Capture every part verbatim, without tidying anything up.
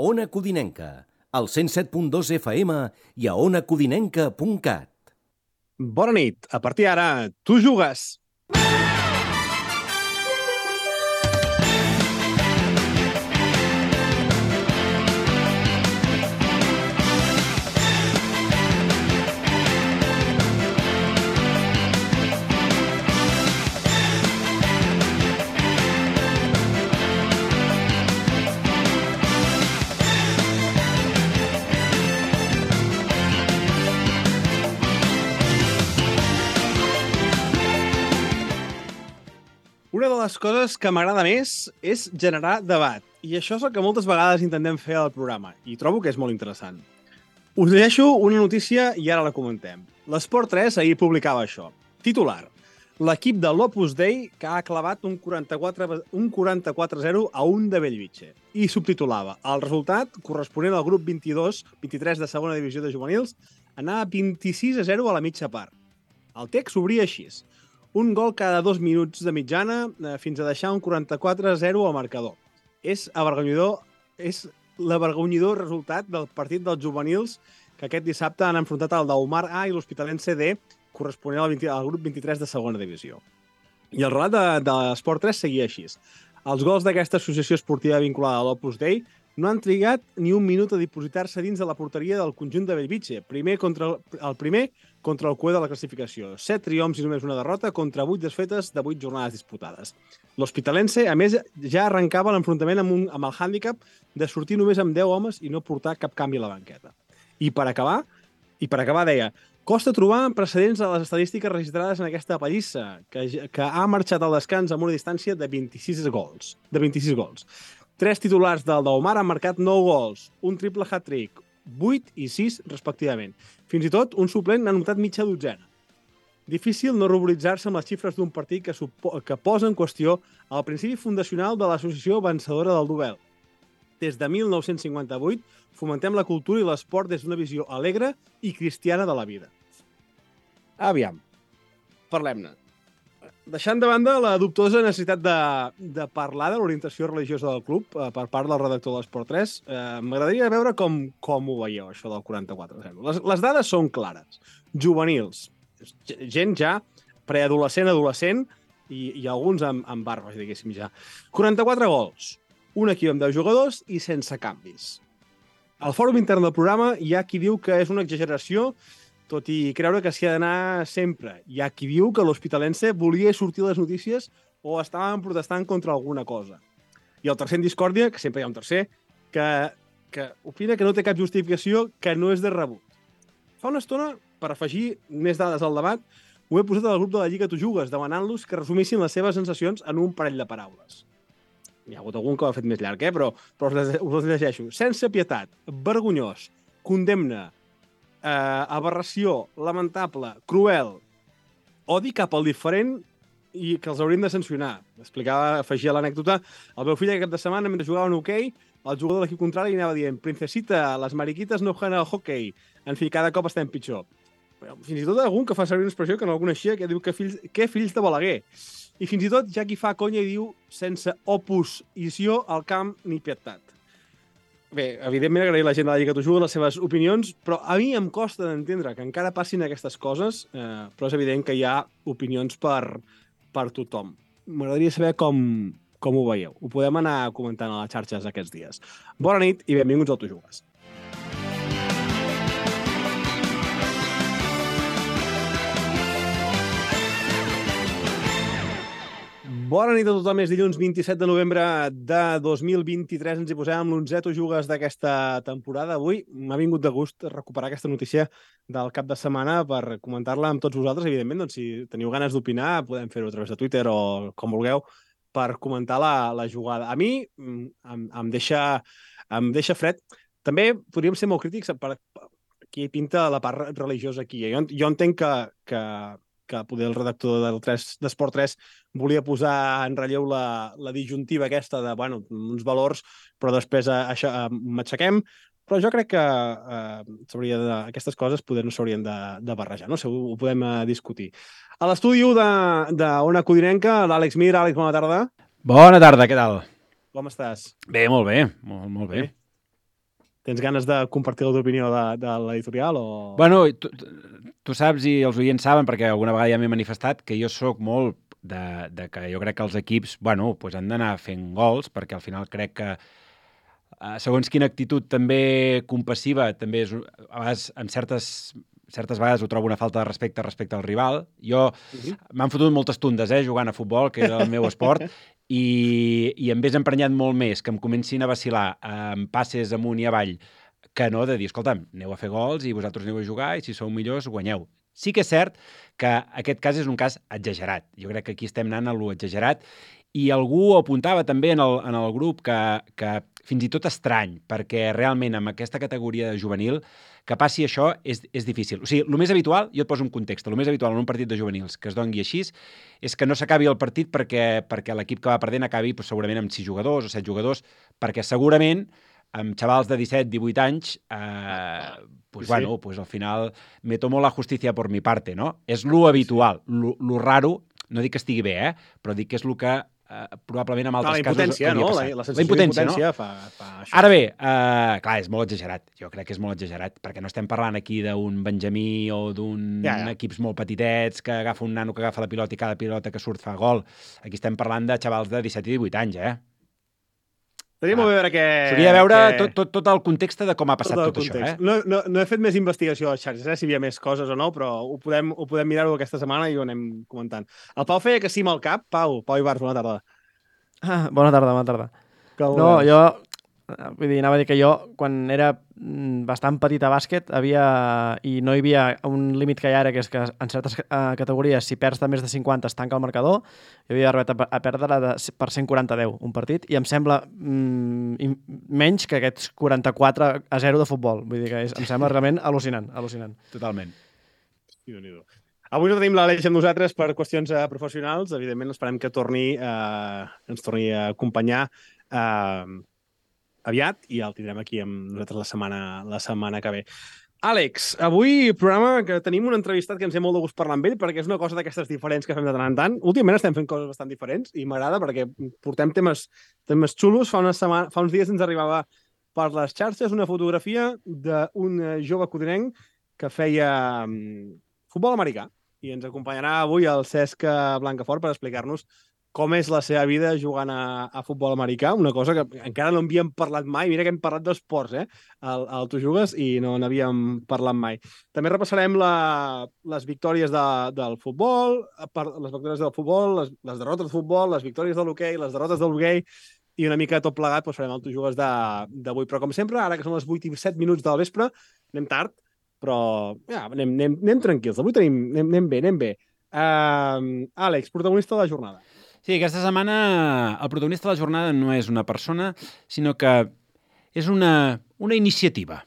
Ona Codinenca, al cent set punt dos F M i a ona codinenca punt cat. Bona nit. A partir d'ara, tu jugues. Una de les coses que m'agrada més és generar debat, i això és el que moltes vegades intentem fer al programa, i trobo que és molt interessant. Us llegeixo una notícia i ara la comentem. L'Esport tres ahir publicava això. Titular: l'equip de l'Opus Dei que ha clavat un quaranta-quatre a zero a un de Bellvitge. I subtitulava: el resultat, corresponent al grup vint-i-dos vint-i-tres de segona divisió de juvenils, anava vint-i-sis a zero a la mitja part. El text s'obria així: un gol cada dos minuts de mitjana eh, fins a deixar un quaranta-quatre a zero al marcador. És avergonyidor, és l'avergonyidor resultat del partit dels juvenils que aquest dissabte han enfrontat el d'Aumar A i l'Hospitalense D, corresponent al, vint, al grup vint-i-tres de segona divisió. I el relat de, de l'Esport tres seguia així: els gols d'aquesta associació esportiva vinculada a l'Opus Dei no han trigat ni un minut a dipositar-se dins de la porteria del conjunt de Bellvitge, primer contra el, el primer contra el cue de la classificació. Set triomfs i només una derrota contra vuit desfetes de vuit jornades disputades. L'Hospitalense, a més, ja arrencava l'enfrontament amb, un, amb el hàndicap de sortir només amb deu homes i no portar cap canvi a la banqueta. I per acabar, i per acabar deia: costa trobar precedents a les estadístiques registrades en aquesta pallissa, que, que ha marxat al descans amb una distància de vint-i-sis gols. De vint-i-sis gols. Tres titulars del d'Omar han marcat nou gols, un triple hat-trick, vuit i sis respectivament. Fins i tot un suplent n'ha anotat mitja dotzena. Difícil no ruboritzar-se amb les xifres d'un partit que, que posa en qüestió el principi fundacional de l'associació vencedora del duel. Des de mil nou-cents cinquanta-vuit fomentem la cultura i l'esport des d'una visió alegre i cristiana de la vida. Aviam, parlem-ne. Deixant de banda la dubtosa necessitat de, de parlar de l'orientació religiosa del club eh, per part del redactor de l'Esport tres, eh, m'agradaria veure com, com ho veieu, això del quaranta-quatre a zero. Les, les dades són clares. Juvenils, gent ja preadolescent, adolescent i, i alguns amb, amb barbes, diguéssim ja. quaranta-quatre gols, un equip amb deu jugadors i sense canvis. Al fòrum intern del programa hi ha qui diu que és una exageració, tot i creure que s'hi ha d'anar sempre. Hi ha qui diu que l'Hospitalense volia sortir a les notícies o estaven protestant contra alguna cosa. I el tercer en discòrdia, que sempre hi ha un tercer, que, que opina que no té cap justificació, que no és de rebut. Fa una estona, per afegir més dades al debat, ho he posat al grup de la Lliga Tu Jugues, demanant-los que resumissin les seves sensacions en un parell de paraules. Hi ha hagut algun que ho ha fet més llarg, eh? però, però us les llegeixo. Sense pietat, vergonyós, condemna, Uh, aberració, lamentable, cruel, odi cap al diferent i que els hauríem de sancionar. Explicava, afegia l'anècdota: el meu fill aquest cap de setmana, mentre jugaven a hoquei, el jugador de l'equip contrari anava dient: princesita, les mariquites no jueguen al hoquei. En fi, cada cop estem pitjor. Fins i tot algun que fa servir una expressió que no el coneixia, que diu que fills, que fills de Balaguer. I fins i tot hi ha qui fa conya i diu: sense oposició al camp ni pietat. Bé, evidentment agrair a la gent de la Lliga Tu Jugues les seves opinions, però a mi em costa d'entendre que encara passin aquestes coses, eh, però és evident que hi ha opinions per, per tothom. M'agradaria saber com, com ho veieu. Ho podem anar comentant a les xarxes aquests dies. Bona nit i benvinguts al Tu Jugues. Bona nit a tothom, és dilluns vint-i-set de novembre de dos mil vint-i-tres, ens hi posem amb l'onzè Tu Jugues d'aquesta temporada. Avui m'ha vingut de gust recuperar aquesta notícia del cap de setmana per comentar-la amb tots vosaltres. Evidentment, doncs, si teniu ganes d'opinar, podem fer-ho a través de Twitter o com vulgueu, per comentar la, la jugada. A mi em, em, deixa, em deixa fred. També podríem ser molt crítics per qui pinta la part religiosa aquí. Jo, jo entenc que... que que poder el redactor del d'Esport tres volia posar en relleu la, la disjuntiva aquesta de, bueno, uns valors, però després això, m'aixequem. Però jo crec que eh, de, aquestes coses poder no s'haurien de, de barrejar, no sé, ho, ho podem eh, discutir. A l'estudi d'Ona Codinenca, l'Àlex Mir. Àlex, bona tarda. Bona tarda, què tal? Com estàs? Bé, molt bé, molt, molt bé. bé. tens ganes de compartir la teva opinió de, de l'editorial o...? Bueno, tu, tu saps i els oients saben, perquè alguna vegada ja m'he manifestat, que jo sóc molt de, de que jo crec que els equips, bueno, pues han d'anar fent gols, perquè al final crec que eh, segons quina actitud també compassiva, també és, a vegades, en certes, certes vegades ho trobo una falta de respecte respecte al rival. Jo uh-huh. m'han fotut moltes tundes, eh, jugant a futbol, que era el meu esport, i, i em ves emprenyat molt més que em comencin a vacilar amb passes amunt i avall, que no de dir, escolta'm, aneu a fer gols i vosaltres aneu a jugar i si sou millors guanyeu. Sí que és cert que aquest cas és un cas exagerat. Jo crec que aquí estem anant a lo exagerat i algú apuntava també en el, en el grup que, que fins i tot estrany, perquè realment amb aquesta categoria juvenil que passi això és, és difícil. O sigui, el més habitual, jo et poso un context, el més habitual en un partit de juvenils que es doni així és que no s'acabi el partit perquè, perquè l'equip que va perdent acabi pues, segurament amb sis jugadors o set jugadors, perquè segurament amb xavals de disset divuit anys, eh, pues, sí. bueno, pues al final me tomo la justícia por mi parte, no? És lo habitual. Sí. Lo, lo raro, no dic que estigui bé, eh? Però dic que és lo que eh, probablement en altres casos hauria no? passat. La, la, la impotència, no? Fa, fa això. Ara bé, eh, clar, és molt exagerat. Jo crec que és molt exagerat, perquè no estem parlant aquí d'un Benjamí o d'un ja, ja. equips molt petitets que agafa un nano que agafa la pilota i cada pilota que surt fa gol. Aquí estem parlant de xavals de disset i divuit anys, eh? Tenim ah, a veure que... S'hauria de veure que... tot, tot, tot el context de com ha passat tot, tot això, eh? No, no, no he fet més investigació a les xarxes, eh, si hi havia més coses o no, però ho podem, ho podem mirar-ho aquesta setmana i ho anem comentant. El Pau feia que sí amb el cap. Pau, Pau Ibars, bona tarda. Ah, bona tarda, bona tarda. Com no, jo... Vull dir, anava a dir que jo, quan era bastant petit a bàsquet, havia, i no hi havia un límit que hi ha ara, que és que en certes uh, categories, si perds de més de cinquanta, es tanca el marcador, jo havia arribat a, a perdre de, per cent quaranta a deu un partit, i em sembla mm, menys que aquests quaranta-quatre a zero de futbol. Vull dir que és, em sembla realment al·lucinant, al·lucinant. Totalment. Avui no tenim l'Aleix amb nosaltres per qüestions uh, professionals. Evidentment, esperem que torni, uh, ens torni a acompanyar uh, aviat i el tindrem aquí amb nosaltres la setmana, la setmana que ve. Àlex, avui programa que tenim un entrevistat que ens té molt de gust parlar amb ell perquè és una cosa d'aquestes diferents que fem de tant en tant. Últimament estem fent coses bastant diferents i m'agrada perquè portem temes, temes xulos. Fa, una setmana, fa uns dies ens arribava per les xarxes una fotografia d'un jove codinenc que feia um, futbol americà i ens acompanyarà avui el Cesc Blancafort per explicar-nos com és la seva vida jugant a, a futbol americà, una cosa que encara no havíem parlat mai. Mira que hem parlat d'esports, eh? El, el Tu Jugues, i no n'havíem parlat mai. També repassarem la, les victòries de, del futbol, les victòries del futbol, les, les derrotes del futbol, les victòries de l'hoquei, les derrotes del hoquei, i una mica tot plegat doncs farem el Tu Jugues d'avui. Però com sempre, ara que són les vuit i set minuts del vespre, anem tard, però ja, anem, anem, anem tranquils. Avui tenim, anem, anem bé, anem bé. Uh, Àlex, protagonista de la jornada. Sí, aquesta setmana el protagonista de la jornada no és una persona, sinó que és una, una iniciativa.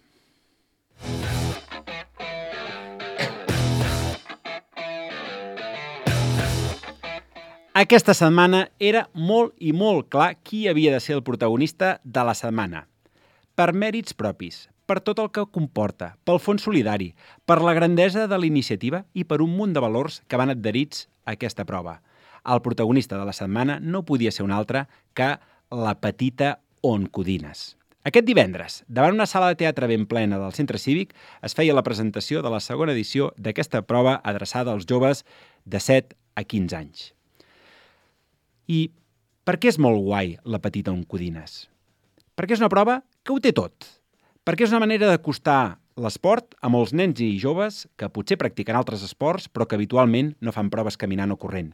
Aquesta setmana era molt i molt clar qui havia de ser el protagonista de la setmana. Per mèrits propis, per tot el que comporta, pel fons solidari, per la grandesa de la iniciativa i per un munt de valors que van adherits a aquesta prova. El protagonista de la setmana no podia ser un altre que la petita Oncodines. Aquest divendres, davant una sala de teatre ben plena del Centre Cívic, es feia la presentació de la segona edició d'aquesta prova adreçada als joves de set a quinze anys. I per què és molt guai la petita Oncodines? Perquè és una prova que ho té tot. Perquè és una manera d'acostar l'esport a molts nens i joves que potser practiquen altres esports però que habitualment no fan proves caminant o corrent.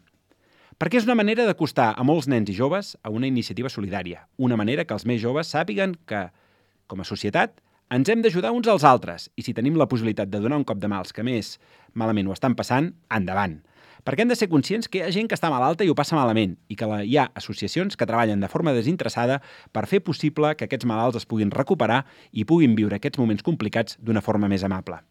Perquè és una manera d'acostar a molts nens i joves a una iniciativa solidària, una manera que els més joves sàpiguen que, com a societat, ens hem d'ajudar uns als altres i si tenim la possibilitat de donar un cop de mà als que més malament ho estan passant, endavant. Perquè hem de ser conscients que hi ha gent que està malalta i ho passa malament i que hi ha associacions que treballen de forma desinteressada per fer possible que aquests malalts es puguin recuperar i puguin viure aquests moments complicats d'una forma més amable.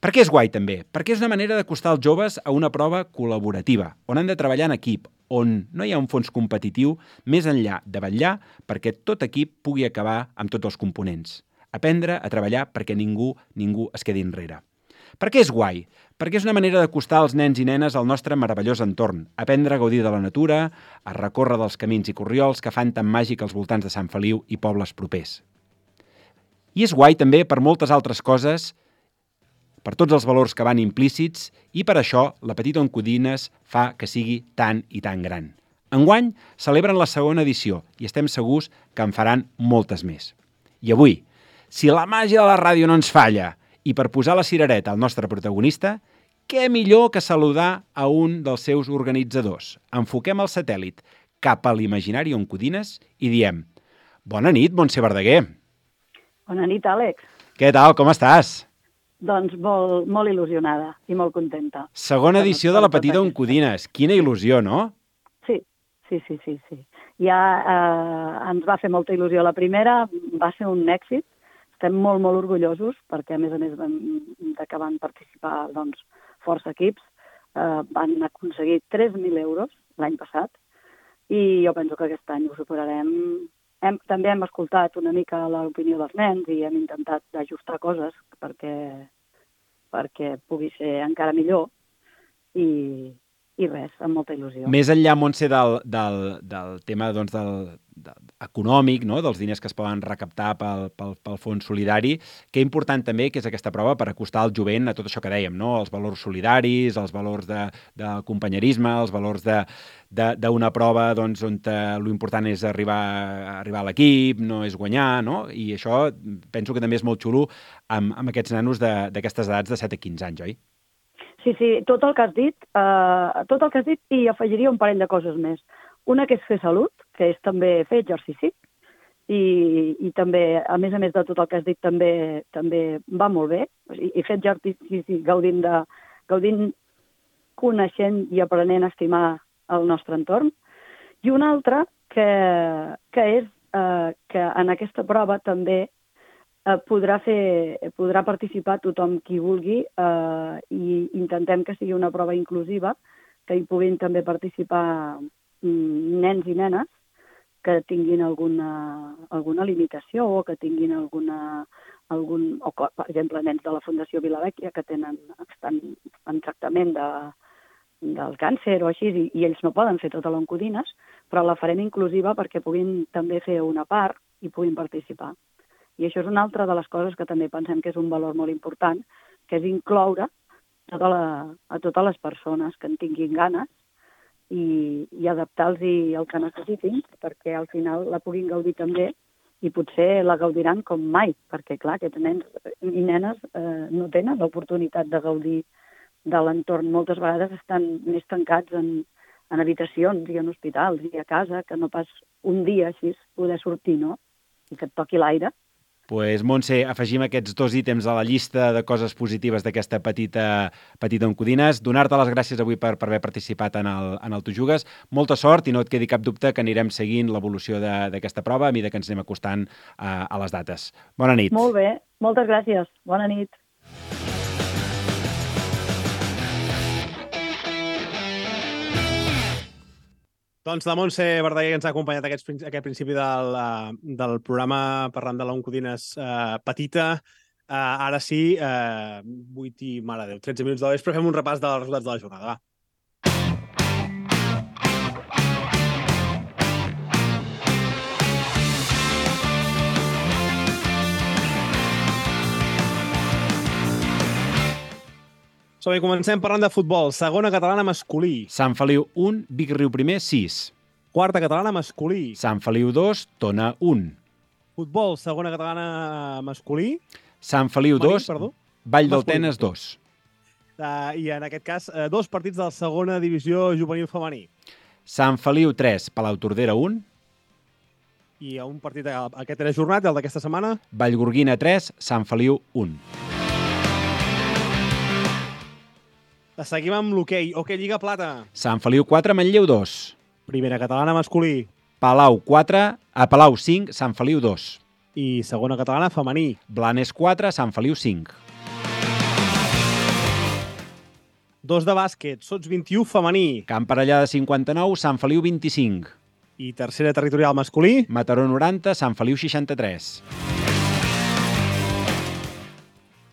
Per què és guai, també? Perquè és una manera d'acostar els joves a una prova col·laborativa, on han de treballar en equip, on no hi ha un fons competitiu més enllà de vetllar perquè tot equip pugui acabar amb tots els components. Aprendre a treballar perquè ningú, ningú es quedi enrere. Per què és guai? Perquè és una manera d'acostar els nens i nenes al nostre meravellós entorn, aprendre a gaudir de la natura, a recórrer dels camins i corriols que fan tan màgic als voltants de Sant Feliu i pobles propers. I és guai també per moltes altres coses, per tots els valors que van implícits, i per això la Petita Oncodines fa que sigui tan i tan gran. Enguany celebren la segona edició i estem segurs que en faran moltes més. I avui, si la màgia de la ràdio no ens falla i per posar la cirereta al nostre protagonista, què millor que saludar a un dels seus organitzadors. Enfoquem el satèl·lit cap a l'imaginari Oncodines i diem: bona nit, Montse Verdaguer. Bona nit, Àlex. Què tal, com estàs? Doncs molt, molt il·lusionada i molt contenta. Segona edició de la Petita Oncodines. Quina il·lusió, no? Sí, sí, sí, sí. sí. Ja eh, ens va fer molta il·lusió la primera, va ser un èxit. Estem molt, molt orgullosos perquè, a més a més, de que van participar doncs, força equips, eh, van aconseguir tres mil euros l'any passat i jo penso que aquest any ho superarem. Hem, també hem escoltat una mica l'opinió dels nens i hem intentat ajustar coses perquè, perquè pugui ser encara millor i, i res, amb molta il·lusió. Més enllà, Montse, del, del, del tema doncs, del, del, econòmic, no? Dels diners que es poden recaptar pel, pel, pel fons solidari, que important també que és aquesta prova per acostar el jovent a tot això que dèiem, no? Els valors solidaris, els valors de, de companyerisme, els valors de d'una prova doncs, on l'important és arribar, arribar a l'equip, no és guanyar, no? I això penso que també és molt xulo amb, amb aquests nanos d'aquestes edats de set a quinze anys, oi? Sí, sí, tot el que has dit, eh, tot el que has dit i afegiria un parell de coses més. Una que és fer salut, que és també fer exercici, i, i també, a més a més de tot el que has dit, també, també va molt bé. I, i fer exercici gaudint, de, gaudint, coneixent i aprenent a estimar el nostre entorn. I una altra que, que és eh, que en aquesta prova també eh, podrà, fer, podrà participar tothom qui vulgui eh, i intentem que sigui una prova inclusiva, que hi puguin també participar mm, nens i nenes que tinguin alguna, alguna limitació o que tinguin alguna, algun, o, per exemple, nens de la Fundació Vilavecchia que tenen, estan en tractament de del càncer o així, i, i ells no poden fer tota l'Oncodines, però la farem inclusiva perquè puguin també fer una part i puguin participar. I això és una altra de les coses que també pensem que és un valor molt important, que és incloure tota la, a totes les persones que en tinguin ganes i, i adaptar-los el que necessitin perquè al final la puguin gaudir també i potser la gaudiran com mai, perquè clar, aquests nens i nenes eh, no tenen l'oportunitat de gaudir de l'entorn. Moltes vegades estan més tancats en, en habitacions i en hospitals i a casa, que no pas un dia així poder sortir, no? I que et toqui l'aire. Pues, Montse, afegim aquests dos ítems a la llista de coses positives d'aquesta petita, petita Oncodines. Donar-te les gràcies avui per, per haver participat en el, en el Tu Jugues. Molta sort i no et quedi cap dubte que anirem seguint l'evolució d'aquesta prova a mesura que ens anem acostant a, a les dates. Bona nit. Molt bé, moltes gràcies. Bona nit. Doncs la Montse Verdaguer ens ha acompanyat aquest, aquest principi del, del programa parlant de l'Oncodines eh, petita. Eh, ara sí, eh, vuit i, mare Déu, tretze minuts de la vespre, fem un repàs dels resultats de la jornada. Va. Som-hi, comencem parlant de futbol. Segona catalana masculí. Sant Feliu un, Vic Riu Primer sis. Quarta catalana masculí. Sant Feliu dos, Tona un. Futbol, segona catalana masculí. Sant Feliu dos, Vall d'Altenes dos. Uh, I en aquest cas, uh, dos partits de la segona divisió juvenil femení. Sant Feliu tres, Palau Tordera un. I un partit, aquest era jornat, el d'aquesta setmana. Vallgorguina tres, Sant Feliu un. Seguim amb l'hoquei. Hoquei Lliga Plata. Sant Feliu quatre, Manlleu dos. Primera catalana masculí. Palau quatre, a Palau cinc, Sant Feliu dos. I segona catalana femení. Blanes quatre, Sant Feliu cinc. Dos de bàsquet, Sots vint-i-u femení. Camp Parellada cinquanta-nou, Sant Feliu vint-i-cinc. I tercera territorial masculí. Mataró noranta, Sant Feliu seixanta-tres.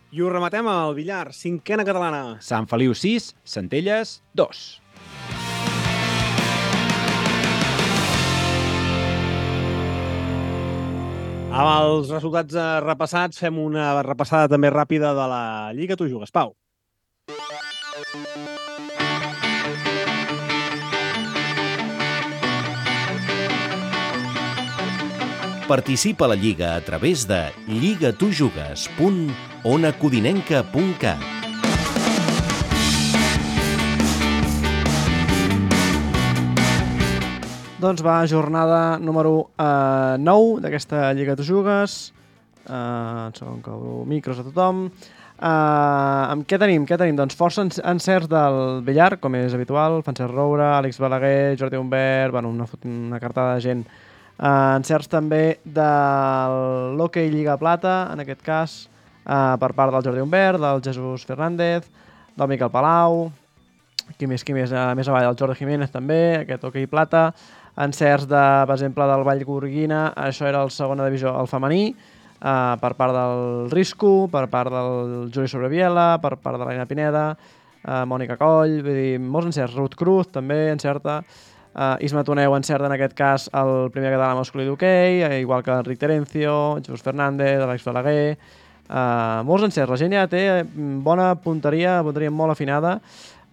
I ho rematem al billar, cinquena catalana. Sant Feliu sis, Centelles dos. Amb els resultats repassats, fem una repassada també ràpida de la Lliga Tu Jugues. Pau. Participa a la Lliga a través de lligatujugues punt ona codinenca punt cat. Doncs va, jornada número eh, nou d'aquesta Lliga Tu Jugues. Eh, un segon que obro micros a tothom. Eh, amb què tenim? Què tenim? Doncs força encerts del billar, com és habitual. Francesc Roura, Àlex Balaguer, Jordi Humbert, bueno, una, una cartada de gent. Uh, encerts també de l'Hockey Lliga Plata, en aquest cas, uh, per part del Jordi Humbert, del Jesús Fernández, del Miquel Palau, qui més, qui més, uh, més avall, el Jordi Jiménez també, aquest Hockey Plata, encerts de, per exemple, del Vallgorguina, això era el segona divisió, el femení, uh, per part del Risco, per part del Juli Sobreviela, per part de l'Aina Pineda, uh, Mònica Coll, vull dir, molts encerts, Ruth Cruz també encerta. Uh, Isma Toneu encerta en aquest cas el primer català masculí d'hoquei, uh, igual que Enric Terencio, Jesús Fernández, Àlex Balaguer, uh, molts encerts. La gent ja té bona punteria, punteria molt afinada.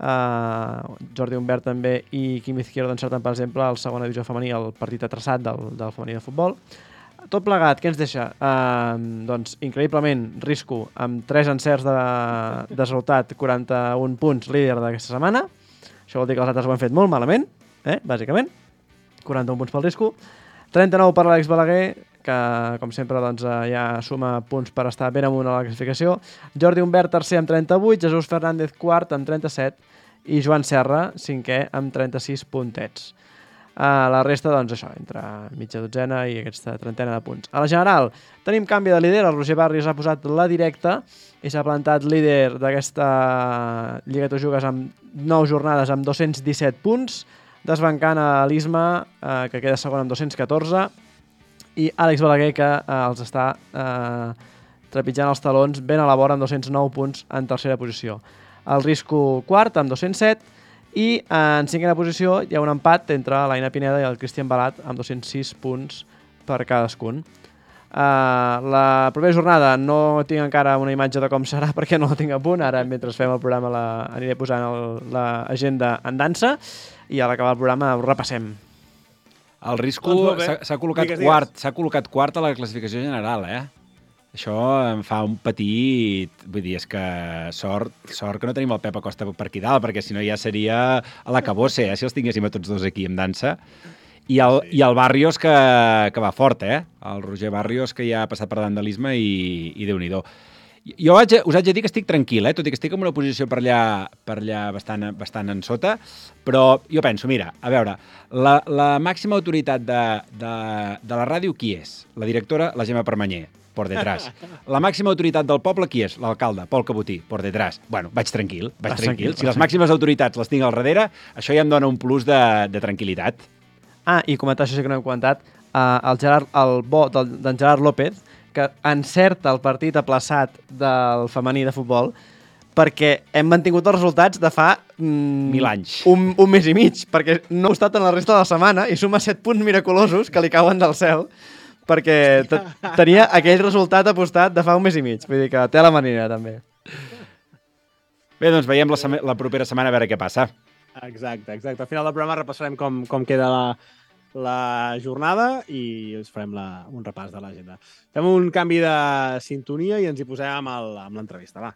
Uh, Jordi Humbert també i Quim Izquierdo encerten, per exemple, el segona divisió femení, el partit atraçat del, del femení de futbol. Tot plegat, què ens deixa? Uh, doncs, increïblement, Risco, amb tres encerts de, de resultat, quaranta-un punts, líder d'aquesta setmana. Això vol dir que els altres ho han fet molt malament. Eh, bàsicament, quaranta-un punts pel Risco, trenta-nou per l'Àlex Balaguer, que com sempre doncs, ja suma punts per estar ben amunt a la classificació, Jordi Humbert tercer amb trenta-vuit, Jesús Fernández quart amb trenta-set i Joan Serra cinquè amb trenta-sis puntets. Uh, la resta, doncs això, entre mitja dotzena i aquesta trentena de punts. A la general, tenim canvi de líder, el Roger Barrios ha posat la directa i s'ha plantat líder d'aquesta Lliga Tu Jugues amb nou jornades amb dos-cents disset punts, desbancant a l'Isma, eh, que queda segon amb dos-cents catorze, i Àlex Balaguer, que eh, els està eh, trepitjant els talons ben a la vora amb dos-cents nou punts en tercera posició. El Risco quart amb dos-cents set i eh, en cinquena posició hi ha un empat entre l'Aina Pineda i el Cristian Balat amb dos-cents sis punts per cadascun. Uh, la propera jornada no tinc encara una imatge de com serà perquè no la tinc a punt, ara mentre fem el programa la, aniré posant l'agenda en dansa i a l'acabar el programa ho repassem. El Risco Doncs s'ha s'ha col·locat digues, quart, s'ha col·locat quart a la classificació general, eh? Això em fa un petit... Vull dir, és que sort, sort que no tenim el Pep Acosta per aquí dalt, perquè si no ja seria a la cabosse, eh? Si els tinguéssim a tots dos aquí en dansa. I el, sí. i el Barrios que, que va fort, eh? El Roger Barrios que ja ha passat per davant de l'Isma i, i Déu-n'hi-do. Jo haig, us haig de dir que estic tranquil, eh? Tot i que estic en una posició per allà, per allà bastant, bastant en sota, però jo penso, mira, a veure, la, la màxima autoritat de, de, de la ràdio qui és? La directora, la Gemma Permanyer, por detrás. La màxima autoritat del poble qui és? L'alcalde, Pol Cabotí, por detrás. Bueno, vaig tranquil, vaig Vas tranquil. tranquil. Si les màximes autoritats les tinc al darrere, això ja em dona un plus de, de tranquil·litat. Ah, i comentar això sí que no hem comentat, uh, el, Gerard, el bo d'en Gerard López, que encerta el partit aplaçat del femení de futbol, perquè hem mantingut els resultats de fa... Mm, Mil anys. Un, un mes i mig, perquè no ha estat en la resta de la setmana i suma set punts miraculosos que li cauen del cel, perquè tenia aquell resultat apostat de fa un mes i mig. Vull dir que té la manera, també. Bé, doncs veiem la, la propera setmana a veure què passa. Exacte, exacte. Al final del programa repassarem com, com queda la, la jornada i us farem la, un repàs de l'agenda. Fem un canvi de sintonia i ens hi posem amb el- amb l'entrevista, va.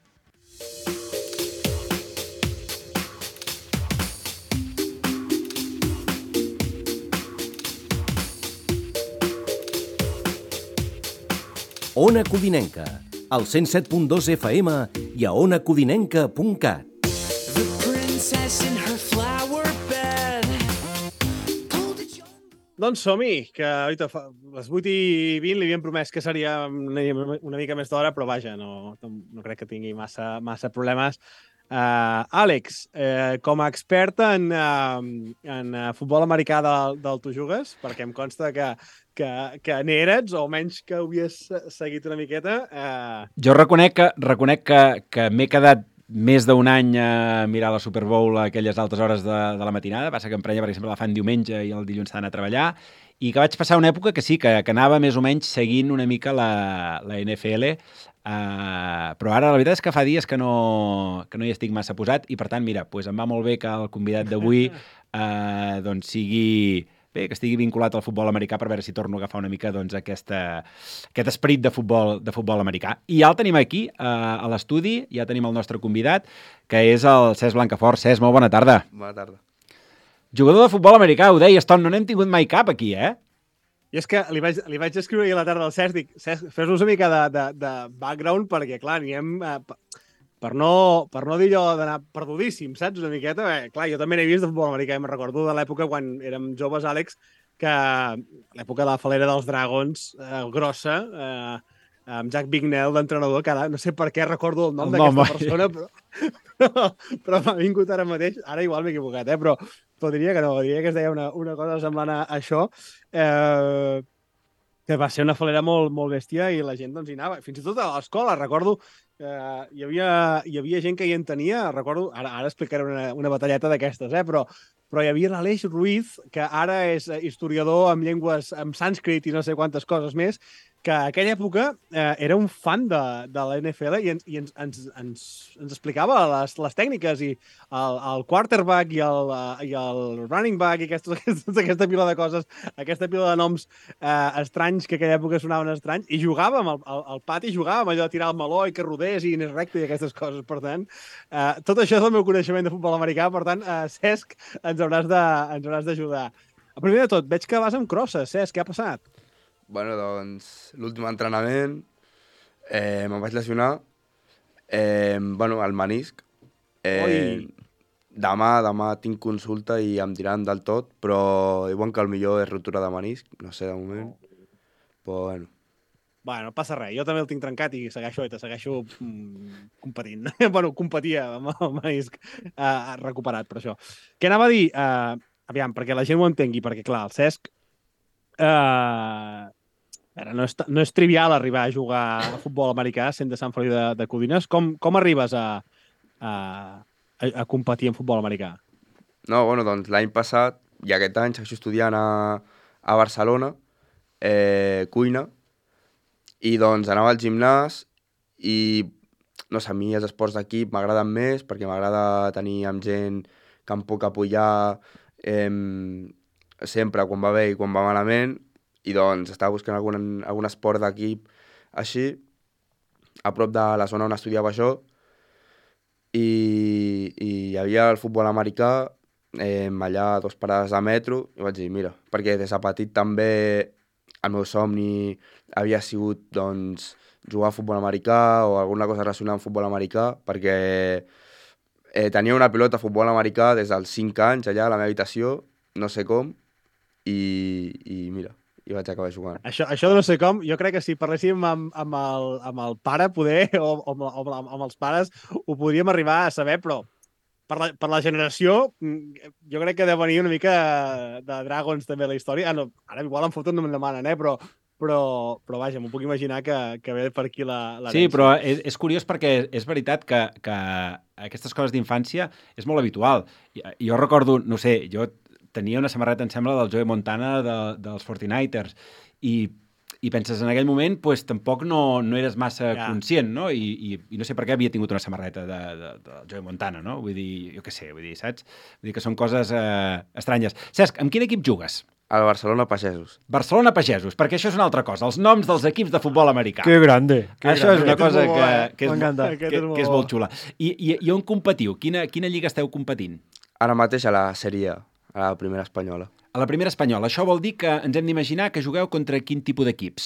Ona Codinenca, al cent set punt dos F M i a ona codinenca punt cat. The princess in her flower bed. Doncs som-hi, que ahorita fa les vuit i vint li havíem promès que seria una, una mica més d'hora, però vaja, no, no crec que tingui massa, massa problemes. Uh, Àlex, uh, com a expert en, uh, en uh, futbol americà del, del Tu Jugues, perquè em consta que, que, que n'eres, o almenys que ho havies seguit una miqueta... Uh... Jo reconec que, reconec que, que m'he quedat més d'un any a mirar la Super Bowl a aquelles altes hores de, de la matinada. Passa que em prenya, per exemple, la fan diumenge i el dilluns s'ha d'anar a treballar. i que vaig passar una època que sí, que, que anava més o menys seguint una mica la, la N F L, uh, però ara la veritat és que fa dies que no, que no hi estic massa posat i per tant, mira, pues em va molt bé que el convidat d'avui uh, doncs sigui... Bé, que estigui vinculat al futbol americà per veure si torno a agafar una mica doncs, aquesta, aquest esperit de futbol, de futbol americà. I ja el tenim aquí, uh, a l'estudi, ja tenim el nostre convidat, que és el Cesc Blancafort. Cesc, molt bona tarda. Bona tarda. Jugador de futbol americà, ho deies, Tom, no n'hem tingut mai cap aquí, eh? I és que li vaig, li vaig escriure ahir a la tarda al Cesc, dic, Cesc, fes-nos una mica de, de, de background, perquè, clar, anirem... Eh, per no, per no dir allò d'anar perdudíssim, saps? Una miqueta, eh, clar, jo també n'he vist de futbol americà, i me'n recordo de l'època quan érem joves, Àlex, que l'època de la falera dels Dragons, eh, grossa, eh, amb Jack Bignell d'entrenador, que ara no sé per què recordo el nom d'aquesta persona, però, però, però m'ha vingut ara mateix, ara igual m'he equivocat, eh, però, però diria que no, diria que es deia una, una cosa semblant a això, eh, que va ser una falera molt, molt bèstia i la gent doncs hi anava. Fins i tot a l'escola, recordo, eh, hi, havia, hi havia gent que hi entenia, recordo, ara, ara explicaré una, una batalleta d'aquestes, eh, però, però hi havia l'Aleix Ruiz, que ara és historiador amb llengües, amb sànscrit i no sé quantes coses més, que a aquella època eh, era un fan de, de la N F L i, ens, i ens, ens, ens, ens explicava les, les tècniques i el, el quarterback i el, uh, i el running back i aquestes, aquestes, aquesta pila de coses, aquesta pila de noms eh, estranys que a aquella època sonaven estranys i jugàvem al, al, al pati, jugàvem allò de tirar el meló i que rodés i anés recte i aquestes coses. Per tant, eh, tot això és el meu coneixement de futbol americà, per tant, eh, Cesc, ens hauràs de, ens hauràs d'ajudar. Primer de tot, veig que vas amb crosses, Cesc, què ha passat? Bueno, doncs, l'últim entrenament eh, me'n vaig lesionar, eh, bueno, el menisc. Eh, demà, demà tinc consulta i em diran del tot, però diuen que el millor és rotura de menisc, no sé, de moment. Oh. Però, bueno. Bueno, no passa res, jo també el tinc trencat i segueixo, i te segueixo mm, competint. bueno, competia amb el menisc uh, recuperat, per això. Què anava a dir? Uh, aviam, perquè la gent ho entengui, perquè, clar, el Cesc... Uh, Ara, no, és, no és trivial arribar a jugar a futbol americà sent de Sant Feliu de, de Codines. Com, com arribes a, a, a competir en futbol americà? No, bueno, doncs l'any passat i aquest any segueixo estudiant a, a Barcelona, eh, cuina, i doncs anava al gimnàs i, no sé, a mi els esports d'equip m'agraden més perquè m'agrada tenir amb gent que em puc apoyar eh, sempre quan va bé i quan va malament. I doncs estava buscant algun, algun esport d'equip així, a prop de la zona on estudiava jo, i, i hi havia el futbol americà, eh, allà a dos parades de metro, i vaig dir, mira, perquè des de petit també el meu somni havia sigut doncs, jugar a futbol americà o alguna cosa relacionada amb futbol americà, perquè eh, tenia una pilota de futbol americà des dels cinc anys allà a la meva habitació, no sé com, i, i mira, i vaig acabar jugant. Això, això de no sé com, jo crec que si parléssim amb, amb, el, amb el pare, poder, o, o, amb, o amb els pares, ho podríem arribar a saber, però per la, per la generació, jo crec que deu venir una mica de Dragons també la història. Ah, no, ara igual em foten, no me'n demanen, eh? però, però, però vaja, m'ho puc imaginar que, que ve per aquí la, la Sí, però és, és curiós perquè és veritat que, que aquestes coses d'infància és molt habitual. Jo recordo, no sé, jo tenia una samarreta, em sembla, del Joe Montana de, dels forty-niners i, i penses, en aquell moment, pues, tampoc no, no eres massa ja. conscient, no? I, i, I no sé per què havia tingut una samarreta de, de, de Joe Montana, no? Vull dir, jo què sé, vull dir, saps? Vull dir que són coses eh, estranyes. Cesc, amb quin equip jugues? Al Barcelona Pagesos. Barcelona Pagesos, perquè això és una altra cosa, els noms dels equips de futbol americà. Que grande. Que això grande. és una cosa és que, bo, que, és, M'encanta. que, que, que és molt xula. I, i, i on competiu? Quina, quina lliga esteu competint? Ara mateix a la Sèrie A, a la primera espanyola. A la primera espanyola. Això vol dir que ens hem d'imaginar que jugueu contra quin tipus d'equips?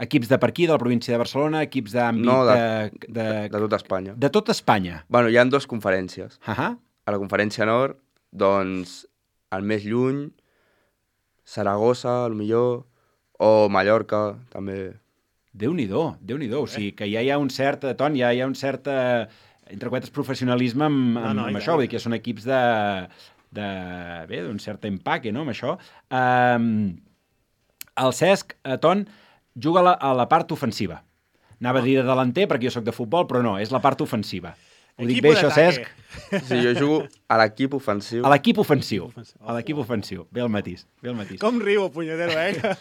Equips de per aquí, de la província de Barcelona, equips d'àmbit... No, de, de, de, de, de tota Espanya. De tota Espanya. Bueno, hi ha dues conferències. Uh -huh. A la conferència nord, doncs, el més lluny, Saragossa, al millor, o Mallorca, també. Déu-n'hi-do, Déu-n'hi-do. O sigui, que ja hi ha un cert, Ton, ja hi ha un cert, entre cometes, professionalisme amb, amb, no, no, amb això. Vull dir que són equips de... de, bé, d'un cert empaque, no?, amb això. Um, el Cesc, a Ton, juga a la, a la part ofensiva. Anava a dir de delanter, perquè jo sóc de futbol, però no, és la part ofensiva. Ho dic Equipo bé, això, d'ataque. Cesc? Sí, jo jugo a l'equip ofensiu. A l'equip ofensiu. Ofensiu. A l'equip ofensiu. Bé el matís. Bé el matís. Com riu, el punyetero, eh?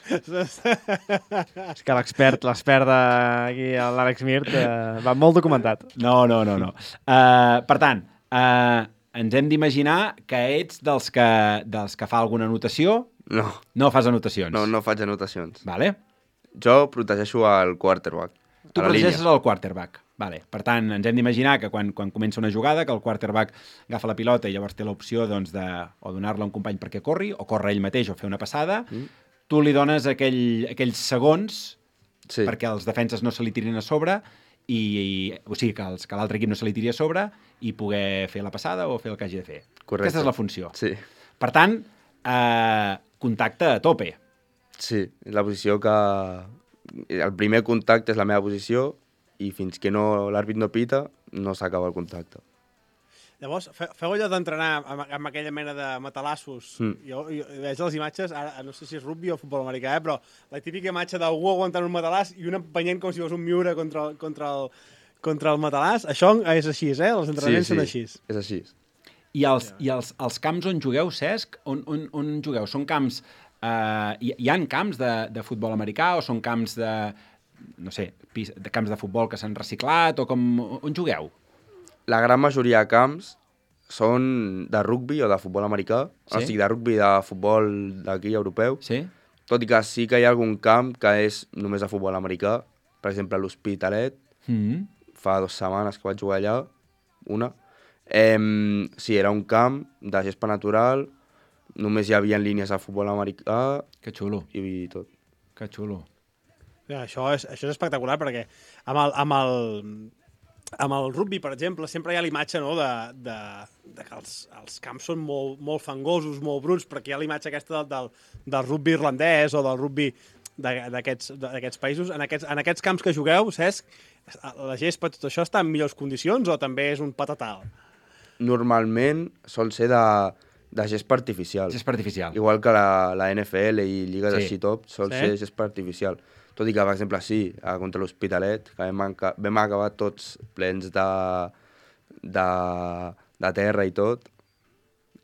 És que l'expert, l'expert d'aquí, l'Àlex Mirt, eh, va molt documentat. No, no, no. no. Uh, per tant, uh, ens hem d'imaginar que ets dels que, dels que fa alguna anotació. No, No fas anotacions. no, no faig anotacions. Vale. Jo protegeixo el quarterback. Tu a la protegeixes línia. el quarterback. Vale. Per tant, ens hem d'imaginar que quan, quan comença una jugada, que el quarterback agafa la pilota i llavors té l'opció doncs, de o donar-la a un company perquè corri, o córrer ell mateix o fer una passada, mm. tu li dones aquell, aquells segons Sí. perquè els defenses no se li tirin a sobre, i, i o sigui, que, els, que l'altre equip no se li tiri a sobre i poder fer la passada o fer el que hagi de fer. Correcte. Aquesta és la funció. Sí, Per tant, eh, contacte a tope. sí, és la posició que... El primer contacte és la meva posició i fins que no l'àrbit no pita, no s'acaba el contacte. Llavors, fe- feu allò d'entrenar amb, amb aquella mena de matalassos. Mm. Jo, jo veig les imatges, ara no sé si és rugby o futbol americà, eh, però la típica imatge d'algú aguantant un matalàs i un empenyent com si fos un miure contra, el- contra, el, contra el matalàs. Això és així, eh? Els entrenaments són així. és així. I els, i els, els camps on jugueu, Cesc, on, on, on jugueu? Són camps... Eh, hi, hi ha camps de, de futbol americà o són camps de, no sé, pis, de camps de futbol que s'han reciclat o com... On jugueu? La gran majoria de camps són de rugbi o de futbol americà, Sí? o sigui, de rugbi de futbol d'aquí, europeu, Sí? tot i que sí que hi ha algun camp que és només de futbol americà, per exemple, a l'Hospitalet, Mm -hmm. fa dues setmanes que vaig jugar allà, una. Eh, sí, era un camp de gespa natural, només hi havia línies de futbol americà Que xulo, i tot. que xulo. Ja, això, és, això és espectacular perquè amb el, amb el, amb el rugby, per exemple, sempre hi ha l'imatge no, de, de, de que els, els camps són molt, molt fangosos, molt bruts, perquè hi ha l'imatge aquesta del, del, del rugby irlandès o del rugby de- d'aquests d'aquests països. En aquests, en aquests camps que jugueu, Cesc, la gespa, tot això està en millors condicions o també és un patatal? Normalment sol ser de, de gespa artificial. És artificial. Igual que la, la N F L i lligues Sí. així top, sol Sí. ser gespa artificial. Tot i que, per exemple, sí, a contra l'Hospitalet, que vam, enca- vam acabar tots plens de, de, de terra i tot,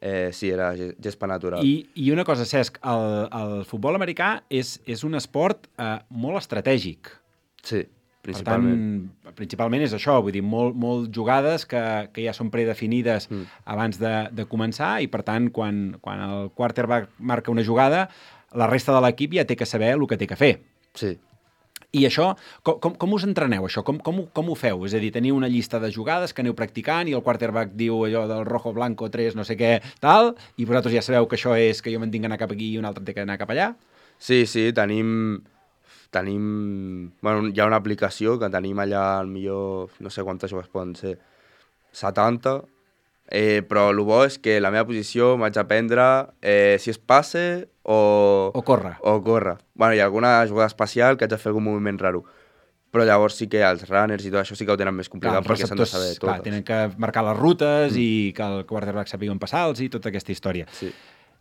eh, sí, era ge- gespa natural. I, I una cosa, Cesc, el, el futbol americà és, és un esport eh, molt estratègic. Sí, Per principalment. tant, principalment és això, vull dir, molt, molt jugades que, que ja són predefinides mm. abans de, de començar i, per tant, quan, quan el quarterback marca una jugada, la resta de l'equip ja té que saber el que té que fer. Sí. I això, com, com, com us entreneu, això? Com, com, ho- com ho feu? És a dir, teniu una llista de jugades que aneu practicant i el quarterback diu allò del rojo, blanco, tres, no sé què, tal, i vosaltres ja sabeu que això és que jo me'n tinc que anar cap aquí i un altre té que anar cap allà? Sí, sí, tenim... Tenim... Bueno, hi ha una aplicació que tenim allà, al millor, no sé quantes jugues poden ser, setanta, eh, però el bo és que la meva posició m'haig d'aprendre eh, si es passe o... O corre? O corre. Bueno, hi ha alguna jugada especial que haig de fer algun moviment raro. Però llavors sí que els runners i tot això sí que ho tenen més complicat els perquè s'han de saber receptors, clar, totes. tenen que marcar les rutes mm. i que el quarterback sàpiga on passar-los i tota aquesta història. Sí.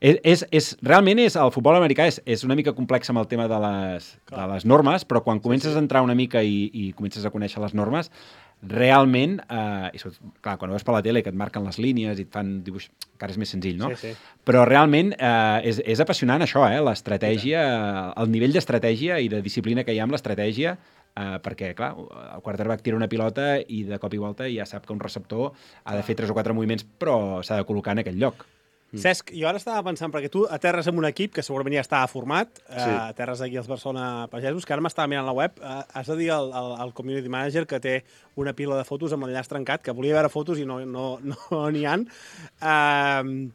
És, és, és, realment és, el futbol americà és, és una mica complex amb el tema de les, de les normes, però quan comences a entrar una mica i, i comences a conèixer les normes, realment, eh, i sobretot, clar, quan ho veus per la tele que et marquen les línies i et fan dibuix, encara és més senzill, no? Sí, sí. Però realment eh, és, és apassionant això, eh? L'estratègia, el nivell d'estratègia i de disciplina que hi ha amb l'estratègia, eh, perquè, clar, el quarterback tira una pilota i de cop i volta ja sap que un receptor ha de fer tres o quatre moviments, però s'ha de col·locar en aquell lloc. Mm. Cesc, jo ara estava pensant, perquè tu aterres en un equip que segurament ja estava format, sí. eh, aterres aquí als Barcelona Pagesos, que ara m'estava mirant la web, eh, has de dir al, al, al community manager que té una pila de fotos amb l'enllaç trencat, que volia veure fotos i no n'hi no, no n'hi ha. Eh,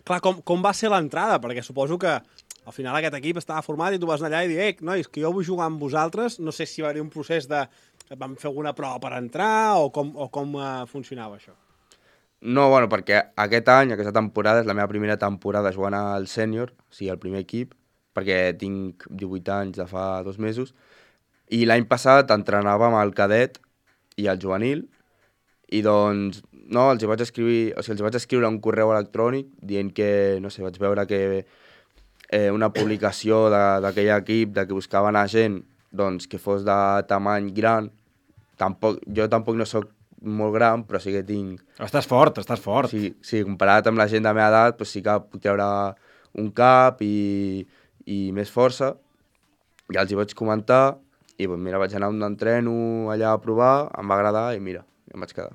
clar, com, com va ser l'entrada? Perquè suposo que al final aquest equip estava format i tu vas anar allà i dir, eh, nois, que jo vull jugar amb vosaltres, no sé si va haver un procés de... vam fer alguna prova per entrar o com, o com uh, funcionava això? No, bueno, perquè aquest any, aquesta temporada, és la meva primera temporada jugant al sènior, o sigui, al primer equip, perquè tinc divuit anys de fa dos mesos, i l'any passat entrenava amb el cadet i el juvenil, i doncs, no, els hi vaig escriure, o sigui, els hi vaig escriure un correu electrònic dient que, no sé, vaig veure que eh, una publicació d'aquell equip, de que buscaven a gent, doncs, que fos de tamany gran. Tampoc, jo tampoc no sóc molt gran, però sí que tinc... Estàs fort, estàs fort. Sí, sí, comparat amb la gent de la meva edat, doncs sí que puc treure un cap i, i més força. Ja els hi vaig comentar i doncs, mira, vaig anar a un entreno allà a provar, em va agradar i mira, em vaig quedar.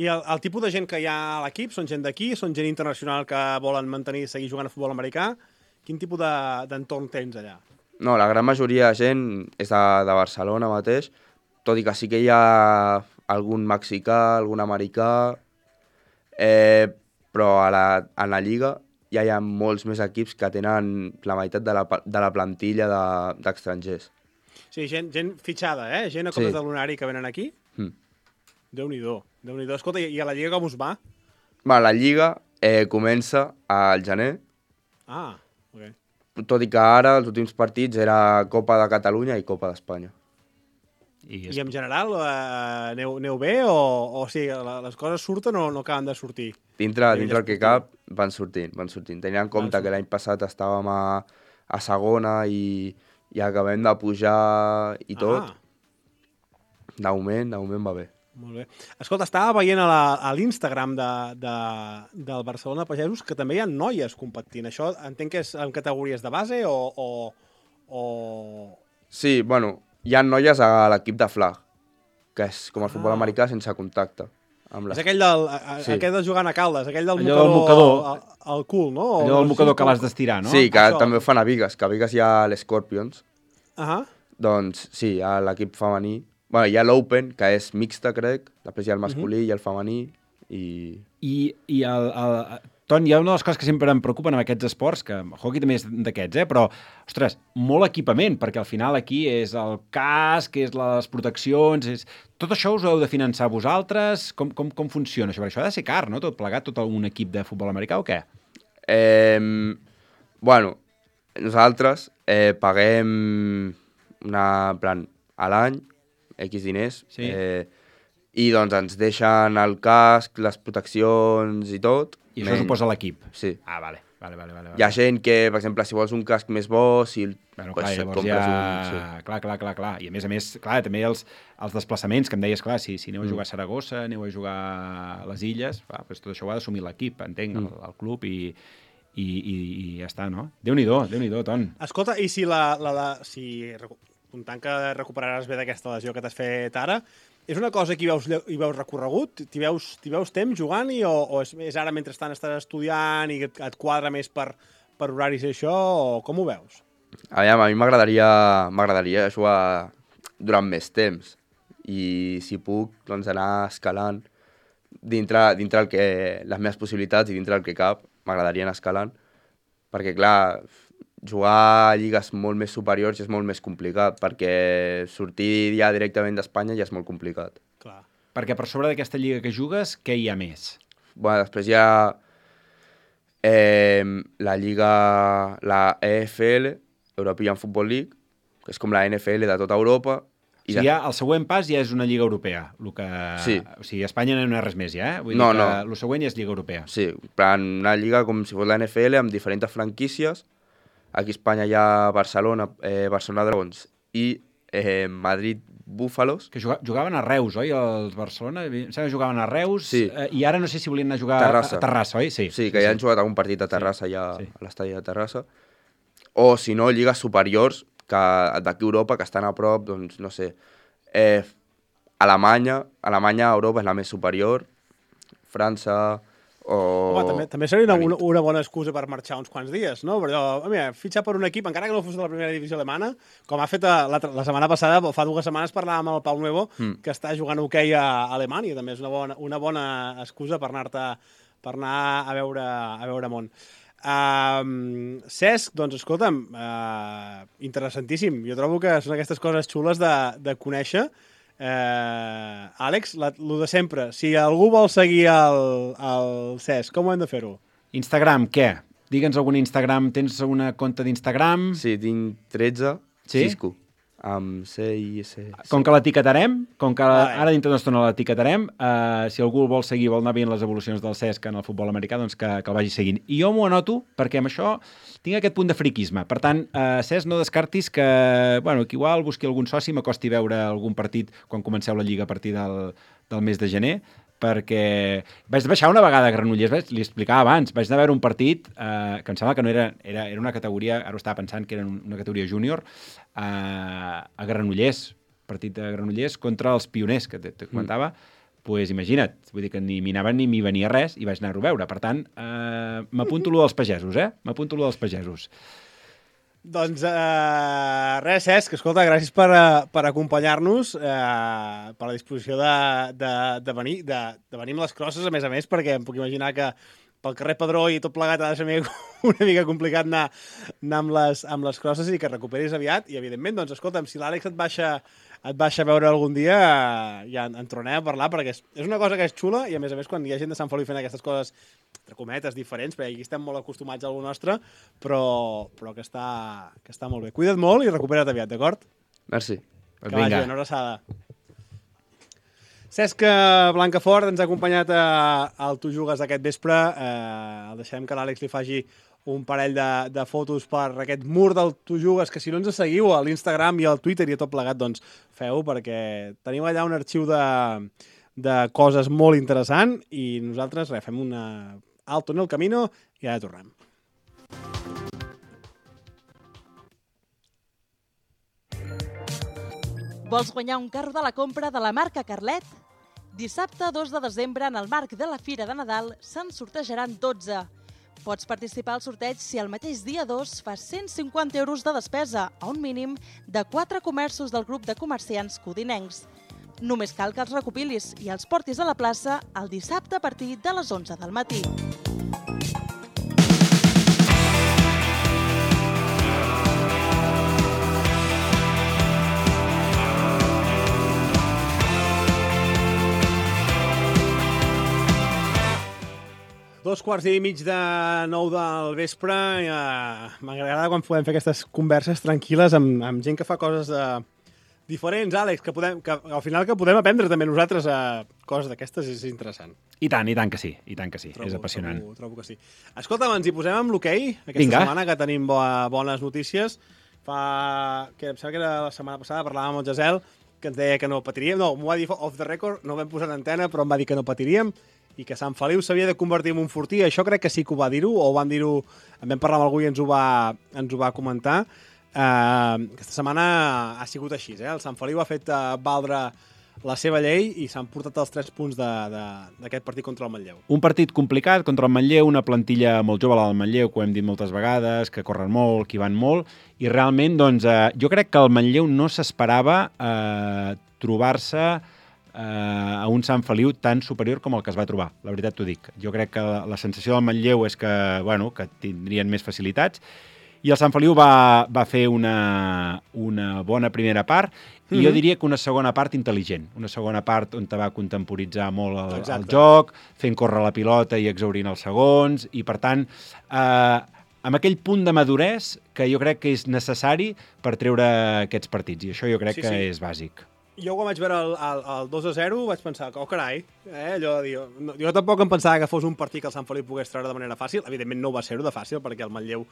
I el, el tipus de gent que hi ha a l'equip són gent d'aquí, són gent internacional que volen mantenir, seguir jugant a futbol americà? Quin tipus de, d'entorn tens allà? No, la gran majoria de gent és de, de Barcelona mateix, tot i que sí que hi ha algun mexicà, algun americà, eh, però a la, a la Lliga ja hi ha molts més equips que tenen la meitat de la, de la plantilla de, d'estrangers. Sí, gent, gent fitxada, eh? Gent a comptes Sí. de l'unari que venen aquí? Mm. Déu-n'hi-do, Déu-n'hi-do. Escolta, i a la Lliga com us va? Va, la Lliga eh, comença al gener, Ah, ok. tot i que ara els últims partits era Copa de Catalunya i Copa d'Espanya. I, I en general, eh, aneu, aneu bé o, o sí, la, les coses surten o no acaben de sortir? Dintre, A nivell dintre el que esportiu. cap van sortint, van sortint. Tenint en compte sortint. que l'any passat estàvem a, a segona i, i acabem de pujar i tot, Ah, de moment, de moment va bé. molt bé. Escolta, estava veient a, la, a l'Instagram de, de, del Barcelona Pagesos que també hi ha noies competint. Això entenc que és en categories de base o... o, o... Sí, bueno, hi ha noies a l'equip de flag, que és com el futbol Ah. americà sense contacte. Amb les... És aquell del, a, a, Sí. aquell de jugant a Caldes, aquell del Allò del mocador, mocador. al, al cul, no? O allò del no sé mocador si que com- l'has d'estirar, no? Sí, que Això. també ho fan a Vigues, que a Vigues hi ha l'Scorpions. Ahà. Doncs sí, hi ha l'equip femení. Bueno, hi ha l'Open, que és mixta, crec. Després hi ha el masculí, uh -huh. i el femení. I... I, i el, el, Ton, hi ha una de les coses que sempre em preocupen amb aquests esports, que el hockey també és d'aquests, eh? Però, ostres, molt equipament, perquè al final aquí és el casc, és les proteccions, és... Tot això us ho heu de finançar vosaltres? Com, com, com funciona això? Perquè això ha de ser car, no? Tot plegat, tot un equip de futbol americà o què? Eh, bueno, nosaltres eh, paguem una, en plan, a l'any, X diners, Sí. eh, i doncs ens deixen el casc, les proteccions i tot. I això menys- suposa l'equip? Sí. Ah, vale, vale, vale. vale, vale. Hi ha gent que, per exemple, si vols un casc més bo, si el, Bueno, pues, clar, et llavors compres ja... un... Sí. Clar, clar, clar, clar. I a més a més, clar, també els, els desplaçaments, que em deies, clar, si, si aneu a Mm. jugar a Saragossa, aneu a jugar a les Illes, clar, doncs tot això ho ha d'assumir l'equip, entenc, el, el club, i, i, i, i ja està, no? Déu-n'hi-do, Déu-n'hi-do, Ton. Escolta, i si la, la, la si recu- comptant que recuperaràs bé d'aquesta lesió que t'has fet ara, és una cosa que hi veus, hi veus recorregut? T'hi veus, t'hi veus temps jugant-hi o, o és, és ara mentrestant estàs estudiant i et, et quadra més per, per horaris i això, o com ho veus? Aviam, a mi m'agradaria m'agradaria jugar durant més temps i si puc doncs anar escalant dintre, dintre el que, les meves possibilitats i dintre el que cap m'agradaria anar escalant perquè clar, jugar a lligues molt més superiors és molt més complicat perquè sortir ja directament d'Espanya ja és molt complicat. Clar. Perquè per sobre d'aquesta lliga que jugues, què hi ha més? Bueno, després hi ha eh, la lliga, la E F L, European Football League, que és com la N F L de tota Europa. O sigui, ja, el següent pas ja és una lliga europea. El que... Sí. O sigui, a Espanya no hi ha res més ja, eh? Vull No, dir que no. el següent ja és lliga europea. Sí, en plan, una lliga com si fos la N F L amb diferents franquícies. Aquí a Espanya hi ha Barcelona, eh, Barcelona Dragons i eh, Madrid Búfalos. Que juga, jugaven a Reus, oi? Els Barcelona, em sembla que jugaven a Reus, Sí. eh, i ara no sé si volien anar a jugar Terrassa. a Terrassa, oi? Sí, Sí, que ja han jugat algun partit a Terrassa, ja sí. a l'estadi de Terrassa. O, si no, lligues superiors que d'aquí a Europa, que estan a prop, doncs, no sé, eh, Alemanya, Alemanya a Europa és la més superior, França o... Home, també, també seria una, David. una, una bona excusa per marxar uns quants dies, no? Però, mira, fitxar per un equip, encara que no fos de la primera divisió alemana, com ha fet eh, la, la setmana passada, fa dues setmanes parlàvem amb el Pau Nuevo, Mm. que està jugant a hoquei a Alemanya, també és una bona, una bona excusa per anar-te per anar a veure, a veure món. Uh, Cesc, doncs, escolta'm, uh, interessantíssim. Jo trobo que són aquestes coses xules de, de conèixer. Uh, Àlex, la, lo de sempre, si algú vol seguir el, el Cesc, com ho hem de fer-ho? Instagram, què? Digue'ns algun Instagram. Tens una compte d'Instagram? Sí, tinc tretze, Sí? Cisco. amb C i S. Com que l'etiquetarem, com que Vale. ara dintre d'una estona l'etiquetarem, eh, si algú el vol seguir, vol anar veient les evolucions del Cesc en el futbol americà, doncs que, que el vagi seguint. I jo m'ho anoto perquè amb això tinc aquest punt de friquisme. Per tant, eh, Cesc, no descartis que, bueno, que igual busqui algun soci, m'acosti veure algun partit quan comenceu la Lliga a partir del, del mes de gener, perquè vaig baixar una vegada a Granollers, vaig, li explicava abans, vaig anar a veure un partit eh, que em sembla que no era, era, era una categoria, ara ho estava pensant que era una categoria júnior, eh, a Granollers, partit de Granollers contra els Pioners, que te, te comentava, mm. pues imagina't, vull dir que ni m'hi anava ni m'hi venia res i vaig anar-ho a veure. Per tant, eh, m'apunto lo dels pagesos, eh? M'apunto lo dels pagesos. Doncs uh, res, Cesc, escolta, gràcies per, uh, per acompanyar-nos, uh, per la disposició de, de, de, venir, de, de venir amb les crosses, a més a més, perquè em puc imaginar que pel carrer Pedró i tot plegat ha de ser una mica complicat anar, anar amb, les, amb les crosses i que recuperis aviat. I, evidentment, doncs, escolta'm, si l'Àlex et baixa, et baixa a veure algun dia, uh, ja en, en tornem a parlar, perquè és, és una cosa que és xula i, a més a més, quan hi ha gent de Sant Feliu fent aquestes coses, entre cometes, diferents, perquè aquí estem molt acostumats a alguna nostra, però, però que, està, que està molt bé. Cuida't molt i recupera't aviat, d'acord? Merci. Que vagi, una abraçada. Cesc Blancafort ens ha acompanyat a, al Tu Jugues aquest vespre. Eh, el deixem que l'Àlex li faci un parell de, de fotos per aquest mur del Tu Jugues, que si no ens seguiu a l'Instagram i al Twitter i a tot plegat, doncs feu, perquè tenim allà un arxiu de, de coses molt interessant i nosaltres res, fem una alto en el camino i ara tornem. Vols guanyar un carro de la compra de la marca Carlet? Dissabte dos de desembre, en el marc de la Fira de Nadal, se'n sortejaran dotze. Pots participar al sorteig si el mateix dia dos fas cent cinquanta euros de despesa a un mínim de quatre comerços del grup de comerciants codinencs. Només cal que els recopilis i els portis a la plaça el dissabte a partir de les onze del matí. Dos quarts i mig de nou del vespre. Eh, M'agrada quan podem fer aquestes converses tranquil·les amb, amb gent que fa coses eh, diferents, Àlex, que, podem, que al final que podem aprendre també nosaltres eh, coses d'aquestes, és interessant. I tant, i tant que sí, i tant que sí, trobo, és apassionant. Trobo, trobo que sí. Escolta'm, ens hi posem amb l'hoquei aquesta Vinga. setmana, que tenim bo, bones notícies. Fa, que em sembla que era la setmana passada, parlàvem amb el Gesel, que ens deia que no patiríem, no, m'ho va dir off the record, no vam posar en antena, però em va dir que no patiríem, i que Sant Feliu s'havia de convertir en un fortí. Això crec que sí que ho va dir-ho, o ho van dir-ho, en vam parlar amb algú i ens ho va, ens ho va comentar. Uh, aquesta setmana ha sigut així, eh? El Sant Feliu ha fet uh, valdre la seva llei i s'han portat els tres punts d'aquest partit contra el Manlleu. Un partit complicat contra el Manlleu, una plantilla molt jove, la del Manlleu, que ho hem dit moltes vegades, que corren molt, que hi van molt, i realment, doncs, eh, jo crec que el Manlleu no s'esperava eh, trobar-se eh, a un Sant Feliu tan superior com el que es va trobar, la veritat t'ho dic. Jo crec que la, la sensació del Manlleu és que, bueno, que tindrien més facilitats, i el Sant Feliu va, va fer una, una bona primera part, i mm-hmm. jo diria que una segona part intel·ligent, una segona part on te va contemporitzar molt el, el joc, fent córrer la pilota i exhaurint els segons, i per tant, eh, amb aquell punt de maduresa que jo crec que és necessari per treure aquests partits, i això jo crec sí, que sí. és bàsic. Jo quan vaig veure el, el, el dos a zero vaig pensar, oh carai, eh? Allò de dir, no, jo tampoc em pensava que fos un partit que el Sant Feliu pogués treure de manera fàcil. Evidentment no va ser-ho de fàcil, perquè el Manlleu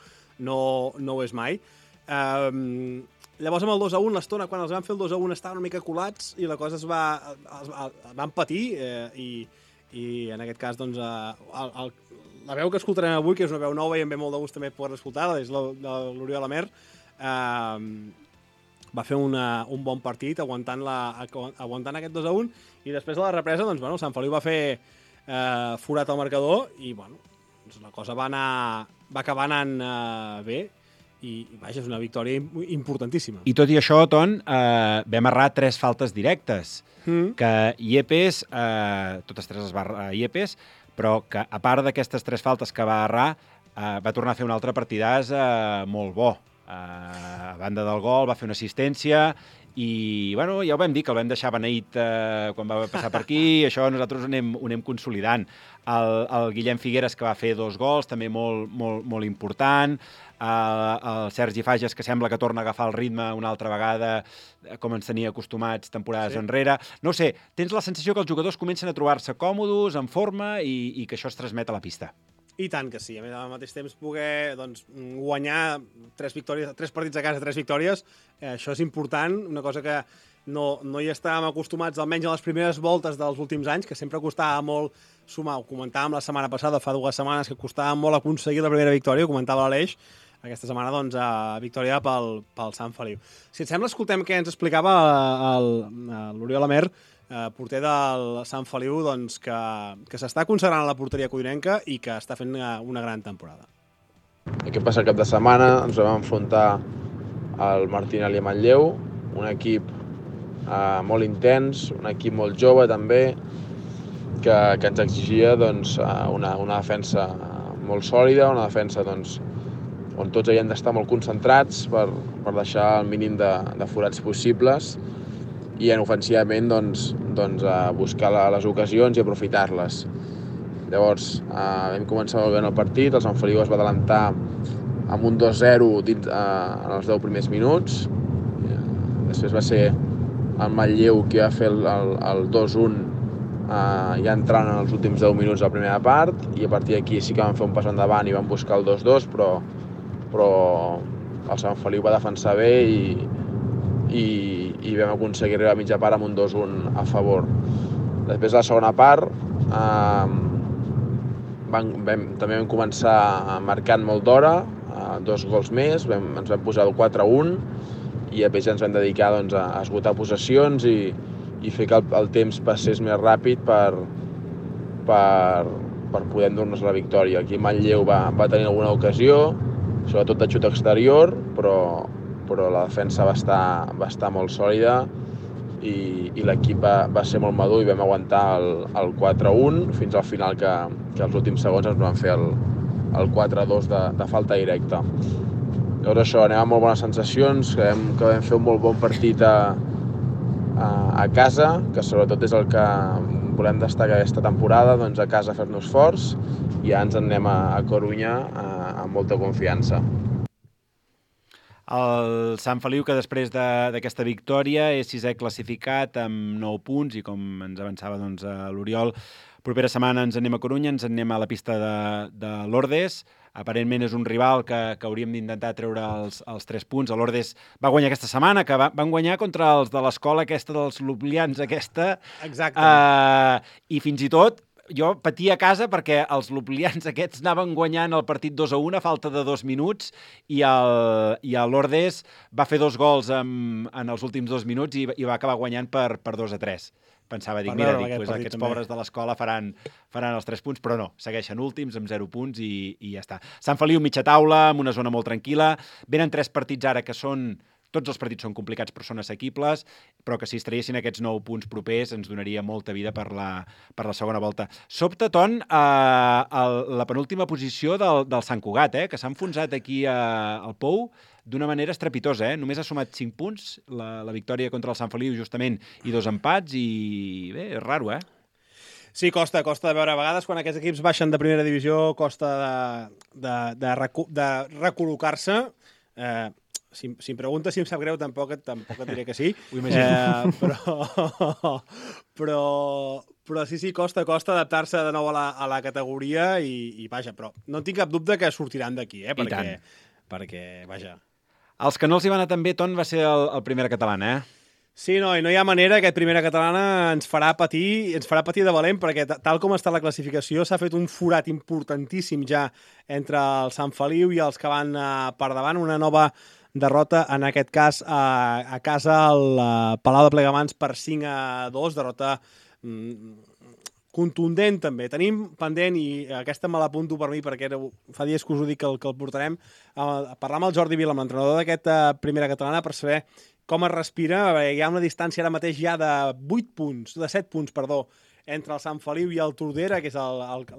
no, no ho és mai. Um, llavors amb el dos a un, l'estona, quan els van fer el dos a un estaven una mica colats i la cosa es va, es, es van patir eh, i, i en aquest cas doncs, eh, el, el, la veu que escoltarem avui, que és una veu nova i em ve molt de gust també poder escoltar, és l'Oriol Amer, eh, va fer una, un bon partit aguantant, la, aguantant aquest dos a un i després de la represa, doncs, bueno, Sant Feliu va fer eh, forat al marcador i bueno, doncs la cosa va, anar, va acabar anant eh, bé i, vaja, és una victòria importantíssima. I tot i això, Ton, eh, vam errar tres faltes directes, mm. que Iepes, eh, totes tres es va errar Iepes, però que a part d'aquestes tres faltes que va errar, eh, va tornar a fer un altre partidàs eh, molt bo. Uh, a banda del gol, va fer una assistència i bueno, ja ho vam dir, que el vam deixar beneït eh, quan va passar per aquí, això nosaltres ho anem, ho anem consolidant. El, el Guillem Figueres, que va fer dos gols, també molt, molt, molt important, el, el Sergi Fages, que sembla que torna a agafar el ritme una altra vegada, com ens tenia acostumats temporades sí. enrere. No sé, tens la sensació que els jugadors comencen a trobar-se còmodes, en forma, i, i que això es transmet a la pista. I tant que sí. A més, al mateix temps, poder doncs, guanyar tres, victòries, tres partits a casa, tres victòries, eh, això és important, una cosa que no, no hi estàvem acostumats, almenys a les primeres voltes dels últims anys, que sempre costava molt sumar. Ho comentàvem la setmana passada, fa dues setmanes, que costava molt aconseguir la primera victòria, ho comentava l'Aleix. Aquesta setmana, doncs, a victòria pel, pel Sant Feliu. Si et sembla, escoltem què ens explicava l'Oriol Amer, Eh, porter del Sant Feliu, doncs, que, que s'està consagrant a la porteria codinenca i que està fent una, una gran temporada. Aquest passat cap de setmana ens vam enfrontar al Martinelli a Manlleu, un equip eh, molt intens, un equip molt jove també, que, que ens exigia doncs, una, una defensa molt sòlida, una defensa doncs, on tots havíem d'estar molt concentrats per, per deixar el mínim de, de forats possibles, i en ofensivament doncs, doncs, a buscar les ocasions i aprofitar-les. Llavors eh, vam començar molt bé el partit, el Sant Feliu es va adelantar amb un dos zero dins, eh, en els deu primers minuts. Després va ser el Manlleu qui va fer el, el, el dos un eh, ja entrant en els últims deu minuts de la primera part, i a partir d'aquí sí que vam fer un pas endavant i vam buscar el dos dos, però, però el Sant Feliu va defensar bé i i, i vam aconseguir arribar a mitja part amb un dos un a favor. Després, a la segona part, eh, vam, vam, també vam començar marcant molt d'hora, eh, dos gols més, vam, ens vam posar el quatre un, i després ja ens vam dedicar doncs, a esgotar possessions i, i fer que el, el temps passés més ràpid per, per, per poder endur-nos la victòria. Aquí Manlleu va, va tenir alguna ocasió, sobretot de xut exterior, però però la defensa va estar, va estar molt sòlida i, i l'equip va, va ser molt madur i vam aguantar el, el quatre un fins al final, que, que els últims segons ens van fer el, el quatre dos de, de falta directa. Llavors això, anem amb molt bones sensacions, que vam, que vam fer un molt bon partit a, a, a casa, que sobretot és el que volem destacar aquesta temporada, doncs a casa fer-nos forts, i ja ens en anem a, a Corunya a, amb molta confiança. El Sant Feliu, que després d'aquesta de, victòria és sisè classificat amb nou punts, i com ens avançava doncs, l'Oriol, propera setmana ens anem a Corunya, ens anem a la pista de, de l'Ordes. Aparentment és un rival que, que hauríem d'intentar treure els, els tres punts. L'Ordes va guanyar aquesta setmana, que va, van guanyar contra els de l'escola aquesta dels Lublians, aquesta. Exacte. Uh, I fins i tot jo patia a casa perquè els Lublians aquests anaven guanyant el partit dos a un a falta de dos minuts, i el, i el Lourdes va fer dos gols en, en els últims dos minuts i, i va acabar guanyant per, per dos a tres. Pensava, dic, mira, dic, pues, aquests també. Pobres de l'escola faran, faran els tres punts, però no, segueixen últims amb zero punts i, i ja està. Sant Feliu, mitja taula, amb una zona molt tranquil·la. Venen tres partits ara que són... Tots els partits són complicats, però són assequibles, però que si es traiessin aquests nou punts propers ens donaria molta vida per la, per la segona volta. Sobte, Ton, eh, el, la penúltima posició del, del Sant Cugat, eh, que s'ha enfonsat aquí a, al Pou d'una manera estrepitosa. Eh? Només ha sumat cinc punts, la, la victòria contra el Sant Feliu, justament, i dos empats, i bé, és raro, eh? Sí, costa, costa de veure. A vegades, quan aquests equips baixen de primera divisió, costa de, de, de, recu de recol·locar-se. Eh, Si, si em preguntes si em sap greu, tampoc, tampoc et diré que sí. Ho imagino. Eh, però, però, però sí, sí, costa, costa adaptar-se de nou a la, a la categoria i, i vaja, però no tinc cap dubte que sortiran d'aquí, eh? Perquè, perquè, vaja... Els que no els hi va anar tan bé, Ton, va ser el, el Primera Catalana, eh? Sí, no, i no hi ha manera, aquest Primera Catalana ens farà patir, ens farà patir de valent, perquè tal com està la classificació s'ha fet un forat importantíssim ja entre el Sant Feliu i els que van uh, per davant, una nova derrota, en aquest cas a, a casa al uh, Palau de Plegamans per cinc a dos, derrota mm, contundent també. Tenim pendent, i aquesta me l'apunto per mi perquè era, fa dies que us ho dic que el, que el portarem, a parlar amb el Jordi Vila, amb l'entrenador d'aquesta Primera Catalana, per saber com es respira. Hi ha una distància ara mateix ja de vuit punts, de set punts, perdó, entre el Sant Feliu i el Tordera, que és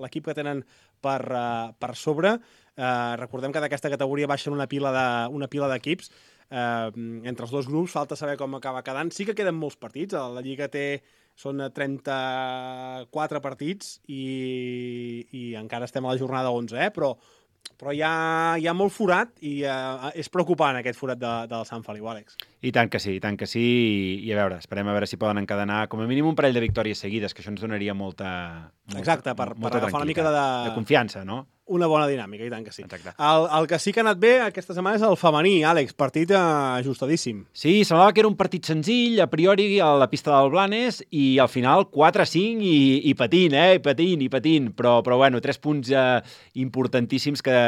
l'equip que tenen per, uh, per sobre. Uh, recordem que d'aquesta categoria baixen una pila de, una pila d'equips. eh, entre els dos grups, falta saber com acaba quedant. Sí que queden molts partits, la Lliga té són trenta-quatre partits i, i encara estem a la jornada onze, eh? però, però hi ha, hi ha molt forat i eh, és preocupant aquest forat de, del Sant Feliu, Àlex. I tant que sí, i tant que sí, i, i a veure, esperem a veure si poden encadenar com a mínim un parell de victòries seguides, que això ens donaria molta, molta, Exacte, per, molta per agafar una mica de, de confiança, no? Una bona dinàmica, i tant que sí. Exacte. El, el que sí que ha anat bé aquesta setmana és el femení, Àlex, partit eh, ajustadíssim. Sí, semblava que era un partit senzill, a priori a la pista del Blanes, i al final quatre a cinc i, i patint, eh? I patint, i patint, però, però bueno, tres punts eh, importantíssims que,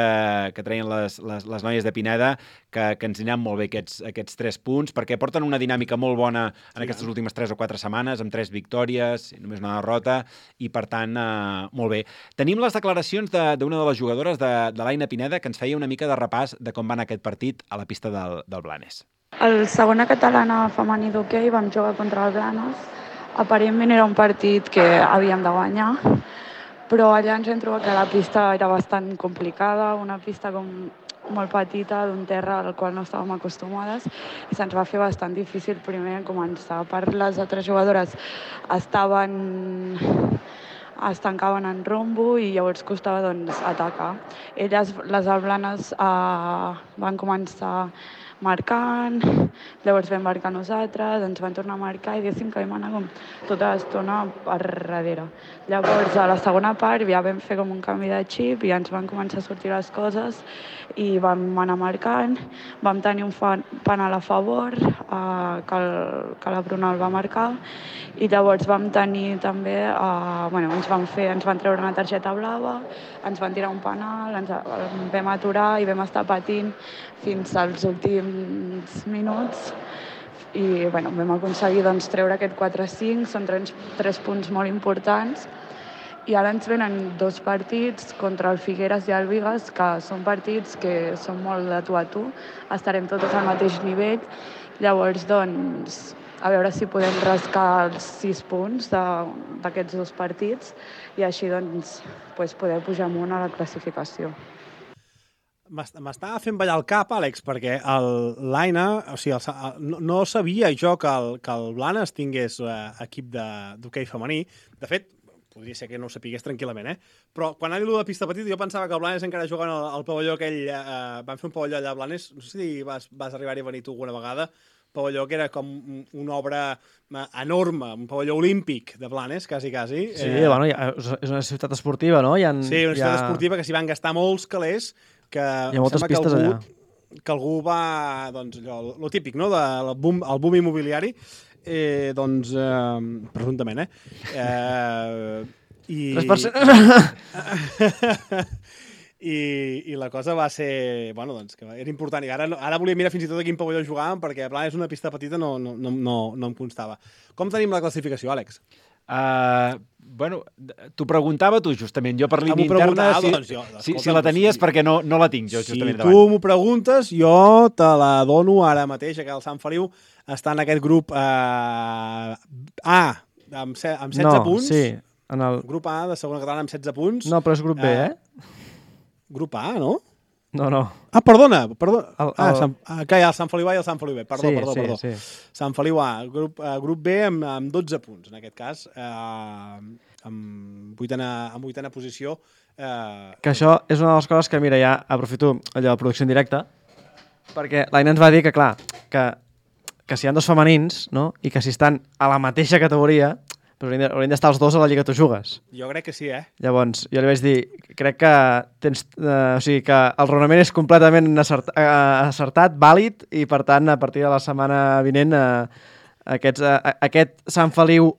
que treien les, les, les noies de Pineda, que, que ens aniran molt bé aquests, aquests tres punts, perquè porten una dinàmica molt bona en sí, aquestes últimes tres o quatre setmanes, amb tres victòries, només una derrota, i per tant, eh, molt bé. Tenim les declaracions d'una de, de les jugadores de, de l'Aina Pineda, que ens feia una mica de repàs de com va anar aquest partit a la pista del, del Blanes. El segona catalana femení d'hoquei vam jugar contra el Blanes. Aparentment era un partit que havíem de guanyar, però allà ens hem trobat que la pista era bastant complicada, una pista com molt petita, d'un terra al qual no estàvem acostumades, i se'ns va fer bastant difícil primer començar. A part, les altres jugadores estaven es tancaven en rombo i llavors costava doncs, atacar. Elles, les alblanes, eh, van començar marcant, llavors vam marcar nosaltres, ens van tornar a marcar i diguéssim que vam anar com tota l'estona per darrere. Llavors, a la segona part ja vam fer com un canvi de xip i ens van començar a sortir les coses i vam anar marcant, vam tenir un penal a favor, eh, que, el, que la Bruna el va marcar, i llavors vam tenir també, eh, bueno, ens van fer, ens van treure una targeta blava, ens van tirar un penal, ens vam aturar i vam estar patint fins als últims minuts i bueno, vam aconseguir doncs, treure aquest quatre a cinc, són tres, tres punts molt importants. I ara ens venen dos partits contra el Figueres i el Vigas, que són partits que són molt de tu a tu, estarem totes al mateix nivell, llavors doncs a veure si podem rascar els sis punts d'aquests dos partits i així doncs, doncs poder pujar amunt a la classificació. M'estava fent ballar el cap, Àlex, perquè l'Aina, o sigui, el, no, no sabia jo que el, que el Blanes tingués eh, equip d'hoquei femení. De fet, podria ser que no ho sapigués tranquil·lament, eh? Però quan ha dit de pista petita, jo pensava que el Blanes encara jugant al, al pavelló aquell... Eh, van fer un pavelló allà a Blanes, no sé si vas, vas arribar-hi a venir tu alguna vegada, pavelló que era com una obra enorme, un pavelló olímpic de Blanes, quasi, quasi. Sí, eh... bueno, és una ciutat esportiva, no? Hi ha, sí, una ciutat ha... esportiva que s'hi van gastar molts calés, que hi ha moltes pistes que algú, allà. Que algú va, doncs, allò, lo típic, no?, del boom, el boom immobiliari, eh, doncs, eh, presumptament, eh? eh i... tres per cent I, i la cosa va ser, bueno, doncs, que era important. I ara, ara volia mirar fins i tot a quin pavelló jugàvem, perquè a plan és una pista petita, no, no, no, no, no em constava. Com tenim la classificació, Àlex? Uh, bueno, t'ho preguntava tu, justament. Jo per línia interna, si, doncs jo, si, si la tenies, perquè no, no la tinc jo, justament si davant. Si tu m'ho preguntes, jo te la dono ara mateix, que el Sant Feliu està en aquest grup uh, A, amb, se, amb setze no, punts. Sí, en el... Grup A de segona catalana amb setze punts. No, però és grup B, uh, eh? Grup A, no? No, no. Ah, perdona, perdona. El, el... Ah, Sant, ah, que hi ha el Sant Feliu A i el Sant Feliu B. Perdó, sí, perdó, sí, perdó. Sí. Sant Feliu A, grup, uh, grup B amb, amb dotze punts, en aquest cas, uh, amb vuitena, amb vuitena posició. Uh, que això és una de les coses que, mira, ja aprofito allò de producció en directe, perquè l'Aina ens va dir que, clar, que, que si hi ha dos femenins, no?, i que si estan a la mateixa categoria, però haurien d'estar els dos a la Lliga Tu Jugues. Jo crec que sí, eh? Llavors, jo li vaig dir, crec que tens, eh, o sigui, que el raonament és completament acert, eh, acertat, vàlid, i per tant, a partir de la setmana vinent, eh, aquests, eh, aquest Sant Feliu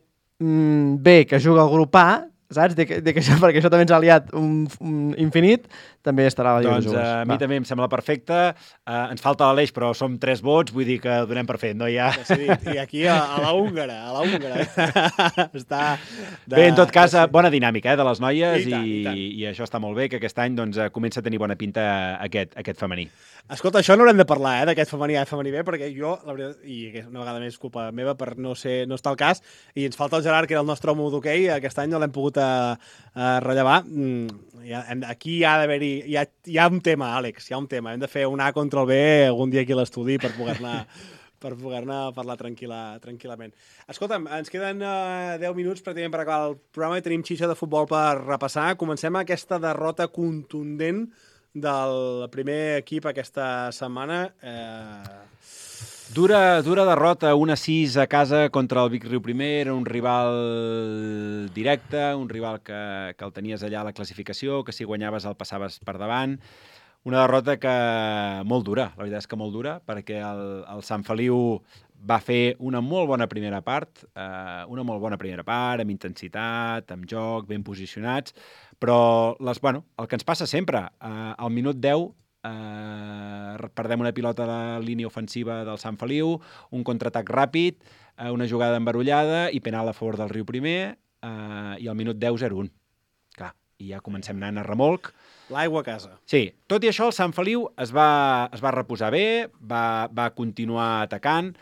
mm, B que juga al grup A, saps? De que, de que això, perquè això també ens ha liat un, un infinit, també estarà a la Lliga doncs, de Jugues. A mi Va. també em sembla perfecte. Uh, ens falta l'Aleix, però som tres vots, vull dir que ho donem per fet, no hi ha... I aquí a, a la húngara, a la húngara. està... De... Bé, en tot cas, bona dinàmica eh, de les noies I, tant, i, i, tant. i això està molt bé, que aquest any doncs, comença a tenir bona pinta aquest, aquest femení. Escolta, això no haurem de parlar, eh, d'aquest femení A i femení B, perquè jo, la veritat, i una vegada més culpa meva per no ser no estar al cas, i ens falta el Gerard, que era el nostre home d'hoquei, aquest any no l'hem pogut a, a rellevar, hi ha, aquí hi ha d'haver-hi... Hi, ha, hi ha un tema, Àlex, hi ha un tema. Hem de fer un A contra el B algun dia aquí a l'estudi per poder-ne per poder-ne parlar tranquil·la, tranquil·lament. Escolta'm, ens queden uh, deu minuts pràcticament per acabar el programa i tenim xitxa de futbol per repassar. Comencem aquesta derrota contundent del primer equip aquesta setmana. Eh... Dura, dura derrota, un a sis a casa contra el Vic Riu Primer, era un rival directe, un rival que, que el tenies allà a la classificació, que si guanyaves el passaves per davant. Una derrota que molt dura, la veritat és que molt dura, perquè el, el Sant Feliu va fer una molt bona primera part, eh, una molt bona primera part, amb intensitat, amb joc, ben posicionats, però les, bueno, el que ens passa sempre, eh, al minut deu eh, perdem una pilota a la línia ofensiva del Sant Feliu, un contraatac ràpid, eh, una jugada embarullada i penal a favor del Riu Primer, eh, i al minut deu zero un. Clar, i ja comencem anant a remolc. L'aigua a casa. Sí, tot i això el Sant Feliu es va, es va reposar bé, va, va continuar atacant,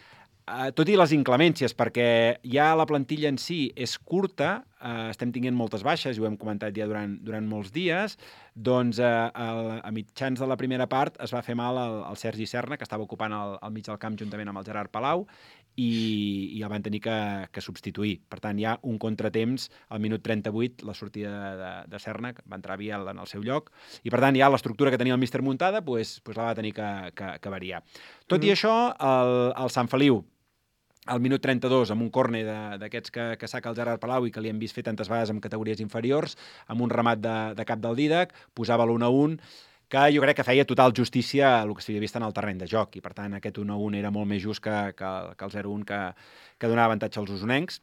eh, tot i les inclemències, perquè ja la plantilla en si és curta, eh, estem tinguent moltes baixes, i ho hem comentat ja durant, durant molts dies, doncs eh, a, a mitjans de la primera part es va fer mal al, al Sergi Serna, que estava ocupant el, el mig del camp juntament amb el Gerard Palau, i, i el van tenir que, que substituir. Per tant, hi ha un contratemps al minut trenta-vuit, la sortida de, de Serna, que va entrar Biel en el seu lloc, i per tant, ja l'estructura que tenia el míster muntada pues, pues la va tenir que, que, que variar. Tot mm-hmm. i això, el, el Sant Feliu, al minut trenta-dos, amb un córner d'aquests que, que saca el Gerard Palau i que li hem vist fer tantes vegades en categories inferiors, amb un remat de, de cap del Dídac, posava l'u a un, que jo crec que feia total justícia a el que s'havia vist en el terreny de joc, i per tant aquest u a un era molt més just que, que, que el zero a un que, que donava avantatge als usonencs.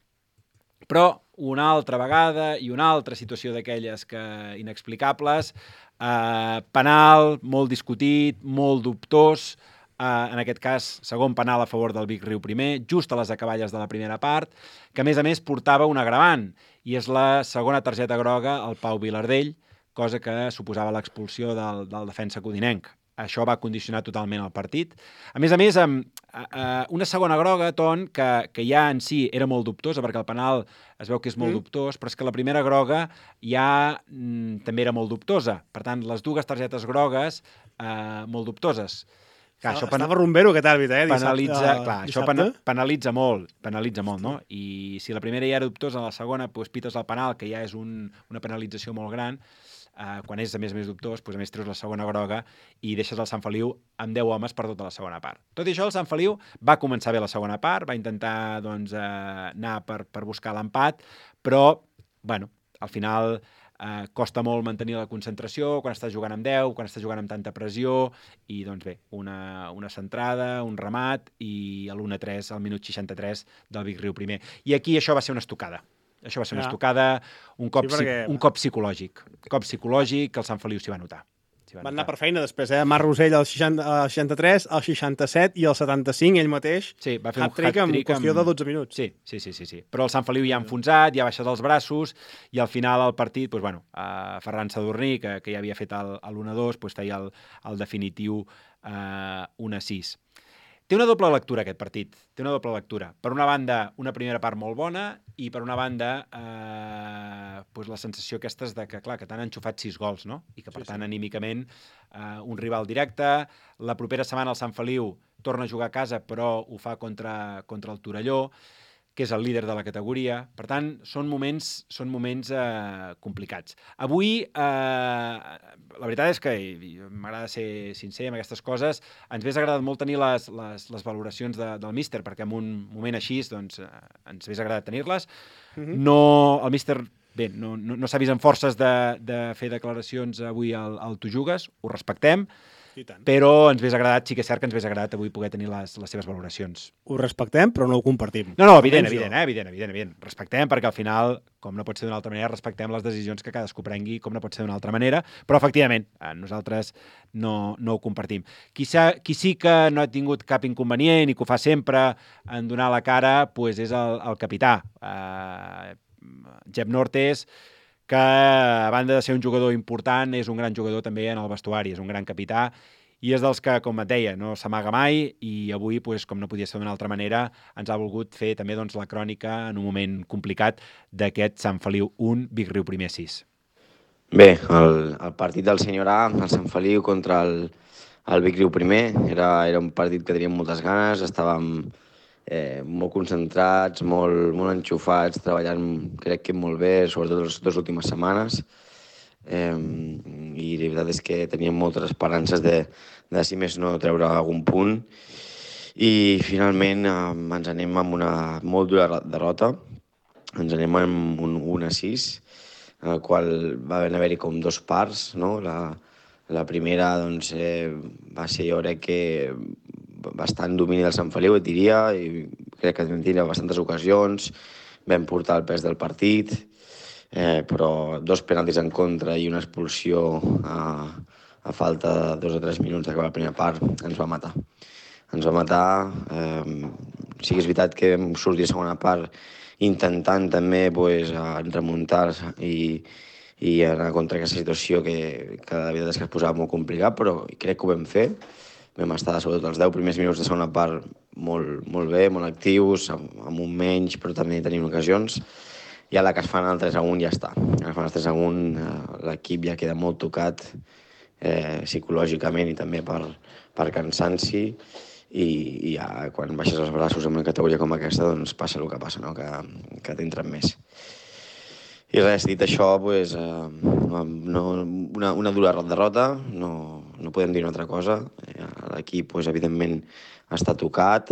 Però una altra vegada i una altra situació d'aquelles que inexplicables, eh, penal, molt discutit, molt dubtós, Uh, en aquest cas, segon penal a favor del Vic Riu Primer, just a les acaballes de la primera part, que a més a més portava un agravant, i és la segona targeta groga al Pau Vilardell, cosa que suposava l'expulsió del, del defensa codinenc. Això va condicionar totalment el partit. A més a més, amb uh, una segona groga, Ton, que, que ja en si era molt dubtosa, perquè el penal es veu que és molt mm. dubtós, però és que la primera groga ja mm, també era molt dubtosa. Per tant, les dues targetes grogues uh, molt dubtoses. Clar, això Estava rumbero aquest àrbit, eh? Penalitza, dissabte, clar, això pena, penalitza molt, penalitza molt, no? I si la primera ja era dubtosa, la segona, doncs, pites el penal, que ja és un, una penalització molt gran, eh, quan és a més a més dubtós, doncs, a més treus la segona groga i deixes el Sant Feliu amb deu homes per tota la segona part. Tot i això, el Sant Feliu va començar bé la segona part, va intentar doncs, eh, anar per, per buscar l'empat, però, bueno, al final... Uh, costa molt mantenir la concentració quan estàs jugant amb deu, quan estàs jugant amb tanta pressió, i doncs bé, una, una centrada, un remat, i l'u a tres al minut seixanta-tres del Vic Riu Primer. I aquí això va ser una estocada. Això va ser una ja. estocada, un cop, sí, perquè... un cop psicològic. Cop psicològic que el Sant Feliu s'hi va notar. Van anar per feina després, eh? Marc Rosell al seixanta-tres, al seixanta-set i al setanta-cinc, ell mateix, sí, va fer un hat-trick en qüestió de dotze minuts. Sí, sí, sí, sí, sí. Però el Sant Feliu ja ha enfonsat, ja ha baixat els braços, i al final el partit, doncs, bueno, eh, Ferran Sadurní, que, que ja havia fet l'u a dos, doncs, feia el, el definitiu eh, u a sis. Té una doble lectura aquest partit, té una doble lectura. Per una banda, una primera part molt bona, i per una banda, eh, doncs la sensació aquesta és de que, clar, que t'han enxufat sis gols, no? I que, per sí, tant, sí. anímicament, eh, un rival directe. La propera setmana el Sant Feliu torna a jugar a casa, però ho fa contra, contra el Torelló, que és el líder de la categoria. Per tant, són moments, són moments eh, complicats. Avui, eh, la veritat és que m'agrada ser sincer amb aquestes coses, ens hauria agradat molt tenir les, les, les valoracions de, del míster, perquè en un moment així doncs, eh, ens hauria agradat tenir-les. Mm-hmm. No, el míster, bé, no, no, no s'ha vist amb forces de, de fer declaracions avui al, al Tu Jugues, ho respectem, però ens hauria agradat, sí que és cert que ens hauria agradat avui poder tenir les, les seves valoracions. Ho respectem, però no ho compartim. No, no, evident, evident, eh? evident, evident, evident. Respectem, perquè al final, com no pot ser d'una altra manera, respectem les decisions que cadascú prengui, com no pot ser d'una altra manera, però efectivament, nosaltres no, no ho compartim. Qui, sa, qui sí que no ha tingut cap inconvenient i que ho fa sempre en donar la cara, pues és el, el capità, eh, Jep Nortes, que a banda de ser un jugador important, és un gran jugador també en el vestuari, és un gran capità, i és dels que, com et deia, no s'amaga mai i avui, pues, com no podia ser d'una altra manera, ens ha volgut fer també doncs, la crònica en un moment complicat d'aquest Sant Feliu un, Vic Riu primer sis. Bé, el, el partit del senyor A, el Sant Feliu contra el, el Vic Riu primer, era, era un partit que teníem moltes ganes, estàvem eh, molt concentrats, molt, molt enxufats, treballant crec que molt bé, sobretot les dues últimes setmanes. Eh, i la veritat és que teníem moltes esperances de, de si més no treure algun punt i finalment eh, ens anem amb una molt dura derrota, ens anem amb un un a sis, en el qual va haver-hi com dos parts, no? La, la primera doncs, eh, va ser, jo crec que bastant domini del Sant Feliu, et diria, i crec que vam tenir bastantes ocasions, vam portar el pes del partit, Eh, però dos penaltis en contra i una expulsió a, a falta de dos o tres minuts d'acabar la primera part ens va matar. Ens va matar, eh, sí que és veritat que vam sortir a segona part intentant també pues, remuntar i, i anar contra aquesta situació que, que la veritat és que es posava molt complicat, però crec que ho vam fer. Vam estar sobretot els deu primers minuts de segona part molt, molt bé, molt actius, amb, amb un menys, però també tenim ocasions. I a la que es fan el tres a un ja està. A la que es fan el tres a un l'equip ja queda molt tocat eh, psicològicament i també per, per cansanci i, i ja quan baixes els braços en una categoria com aquesta doncs passa el que passa, no? que, que t'entren més. I res, dit això, pues, eh, no, una, una dura derrota, no, no podem dir una altra cosa. L'equip, pues, evidentment, està tocat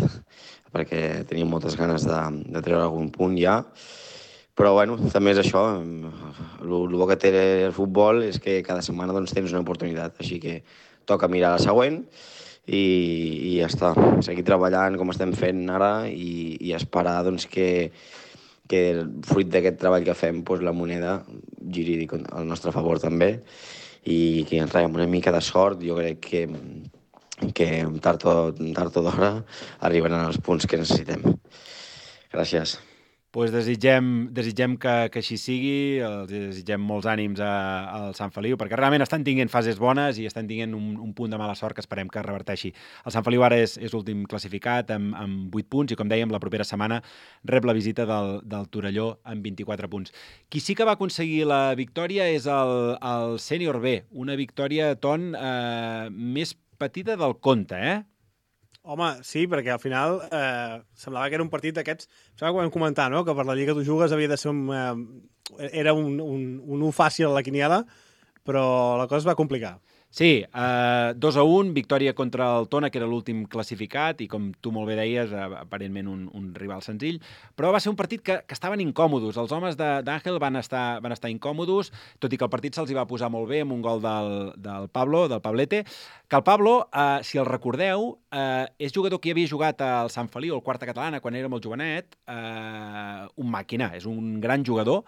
perquè teníem moltes ganes de, de treure algun punt ja. Però bueno, també és això, el bo que té el futbol és que cada setmana doncs, tens una oportunitat, així que toca mirar la següent i, i ja està, seguir treballant com estem fent ara i, i esperar doncs, que, que fruit d'aquest treball que fem doncs, la moneda giri al nostre favor també i que ens traiem una mica de sort, jo crec que, que tard o, tard o d'hora arribaran els punts que necessitem. Gràcies. Pues desitgem, desitgem que, que així sigui, els desitgem molts ànims al Sant Feliu, perquè realment estan tinguent fases bones i estan tinguent un, un punt de mala sort que esperem que reverteixi. El Sant Feliu ara és, és l'últim classificat amb, amb vuit punts i, com dèiem, la propera setmana rep la visita del, del Torelló amb vint-i-quatre punts. Qui sí que va aconseguir la victòria és el, el Sènior B, una victòria, Ton, eh, més petita del compte, eh? Home, sí, perquè al final eh, semblava que era un partit d'aquests... Sembla que ho vam comentar, no?, que per la Lliga tu jugues havia de ser un... Eh, era un, un, un u fàcil a la quiniela, però la cosa es va complicar. Sí, eh, dos a un, victòria contra el Tona, que era l'últim classificat, i com tu molt bé deies, aparentment un, un rival senzill, però va ser un partit que, que estaven incòmodos. Els homes d'Àngel van estar, van estar incòmodos, tot i que el partit se'ls hi va posar molt bé amb un gol del, del Pablo, del Pablete, que el Pablo, eh, si el recordeu, eh, és jugador que havia jugat al Sant Feliu, al Quarta Catalana, quan era molt jovenet, eh, un màquina, és un gran jugador,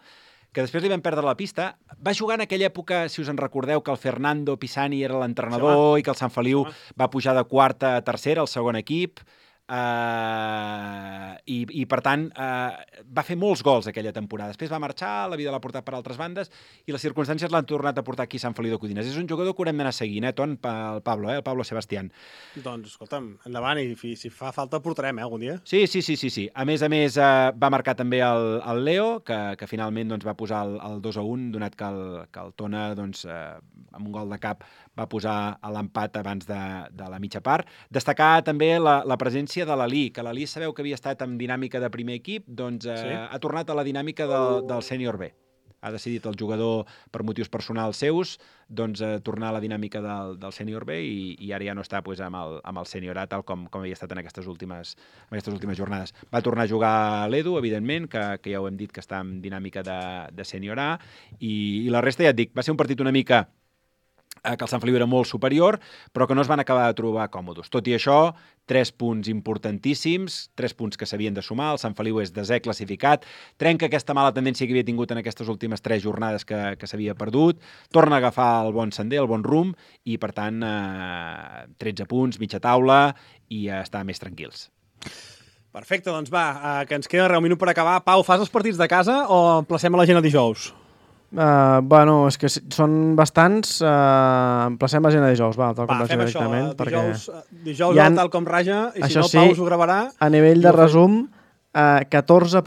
que després li vam perdre la pista. Va jugar en aquella època, si us en recordeu, que el Fernando Pisani era l'entrenador i que el Sant Feliu va pujar de quarta a tercera, al segon equip, uh, i, i per tant uh, va fer molts gols aquella temporada. Després va marxar, la vida l'ha portat per altres bandes i les circumstàncies l'han tornat a portar aquí a Sant Feliu de Codines. És un jugador que haurem d'anar seguint, eh, Ton, el Pablo, eh, el Pablo Sebastián. Doncs, escolta'm, endavant, i si fa falta el portarem, eh, algun dia. Sí, sí, sí, sí, sí. A més a més, eh, va marcar també el, el Leo, que, que finalment doncs, va posar el, el dos a un, donat que el, que el Tona, doncs, eh, amb un gol de cap, va posar l'empat abans de, de la mitja part. Destacar també la, la presència de l'Ali, que l'Ali sabeu que havia estat en dinàmica de primer equip, doncs eh, sí? ha tornat a la dinàmica del, del sènior B. Ha decidit el jugador, per motius personals seus, doncs, eh, tornar a la dinàmica del, del sènior B i, i ara ja no està pues, amb, el, amb el sènior A, tal com, com havia estat en aquestes últimes, en aquestes últimes jornades. Va tornar a jugar l'Edu, evidentment, que, que ja ho hem dit que està en dinàmica de, de sènior A, i, i la resta ja et dic, va ser un partit una mica que el Sant Feliu era molt superior, però que no es van acabar de trobar còmodes. Tot i això, tres punts importantíssims, tres punts que s'havien de sumar, el Sant Feliu és desè classificat, trenca aquesta mala tendència que havia tingut en aquestes últimes tres jornades que, que s'havia perdut, torna a agafar el bon sender, el bon rumb, i per tant, eh, tretze punts, mitja taula, i eh, estar més tranquils. Perfecte, doncs va, eh, que ens queda un minut per acabar. Pau, fas els partits de casa o emplacem a la gent a dijous? Uh, bueno, és que són bastants. Uh, emplacem la gent a dijous, va, tal com Va, vaig fem dir això. directament. Dijous, perquè dijous ha, tal com raja, i si això no, sí, Pau us ho gravarà. A nivell de resum, uh, catorze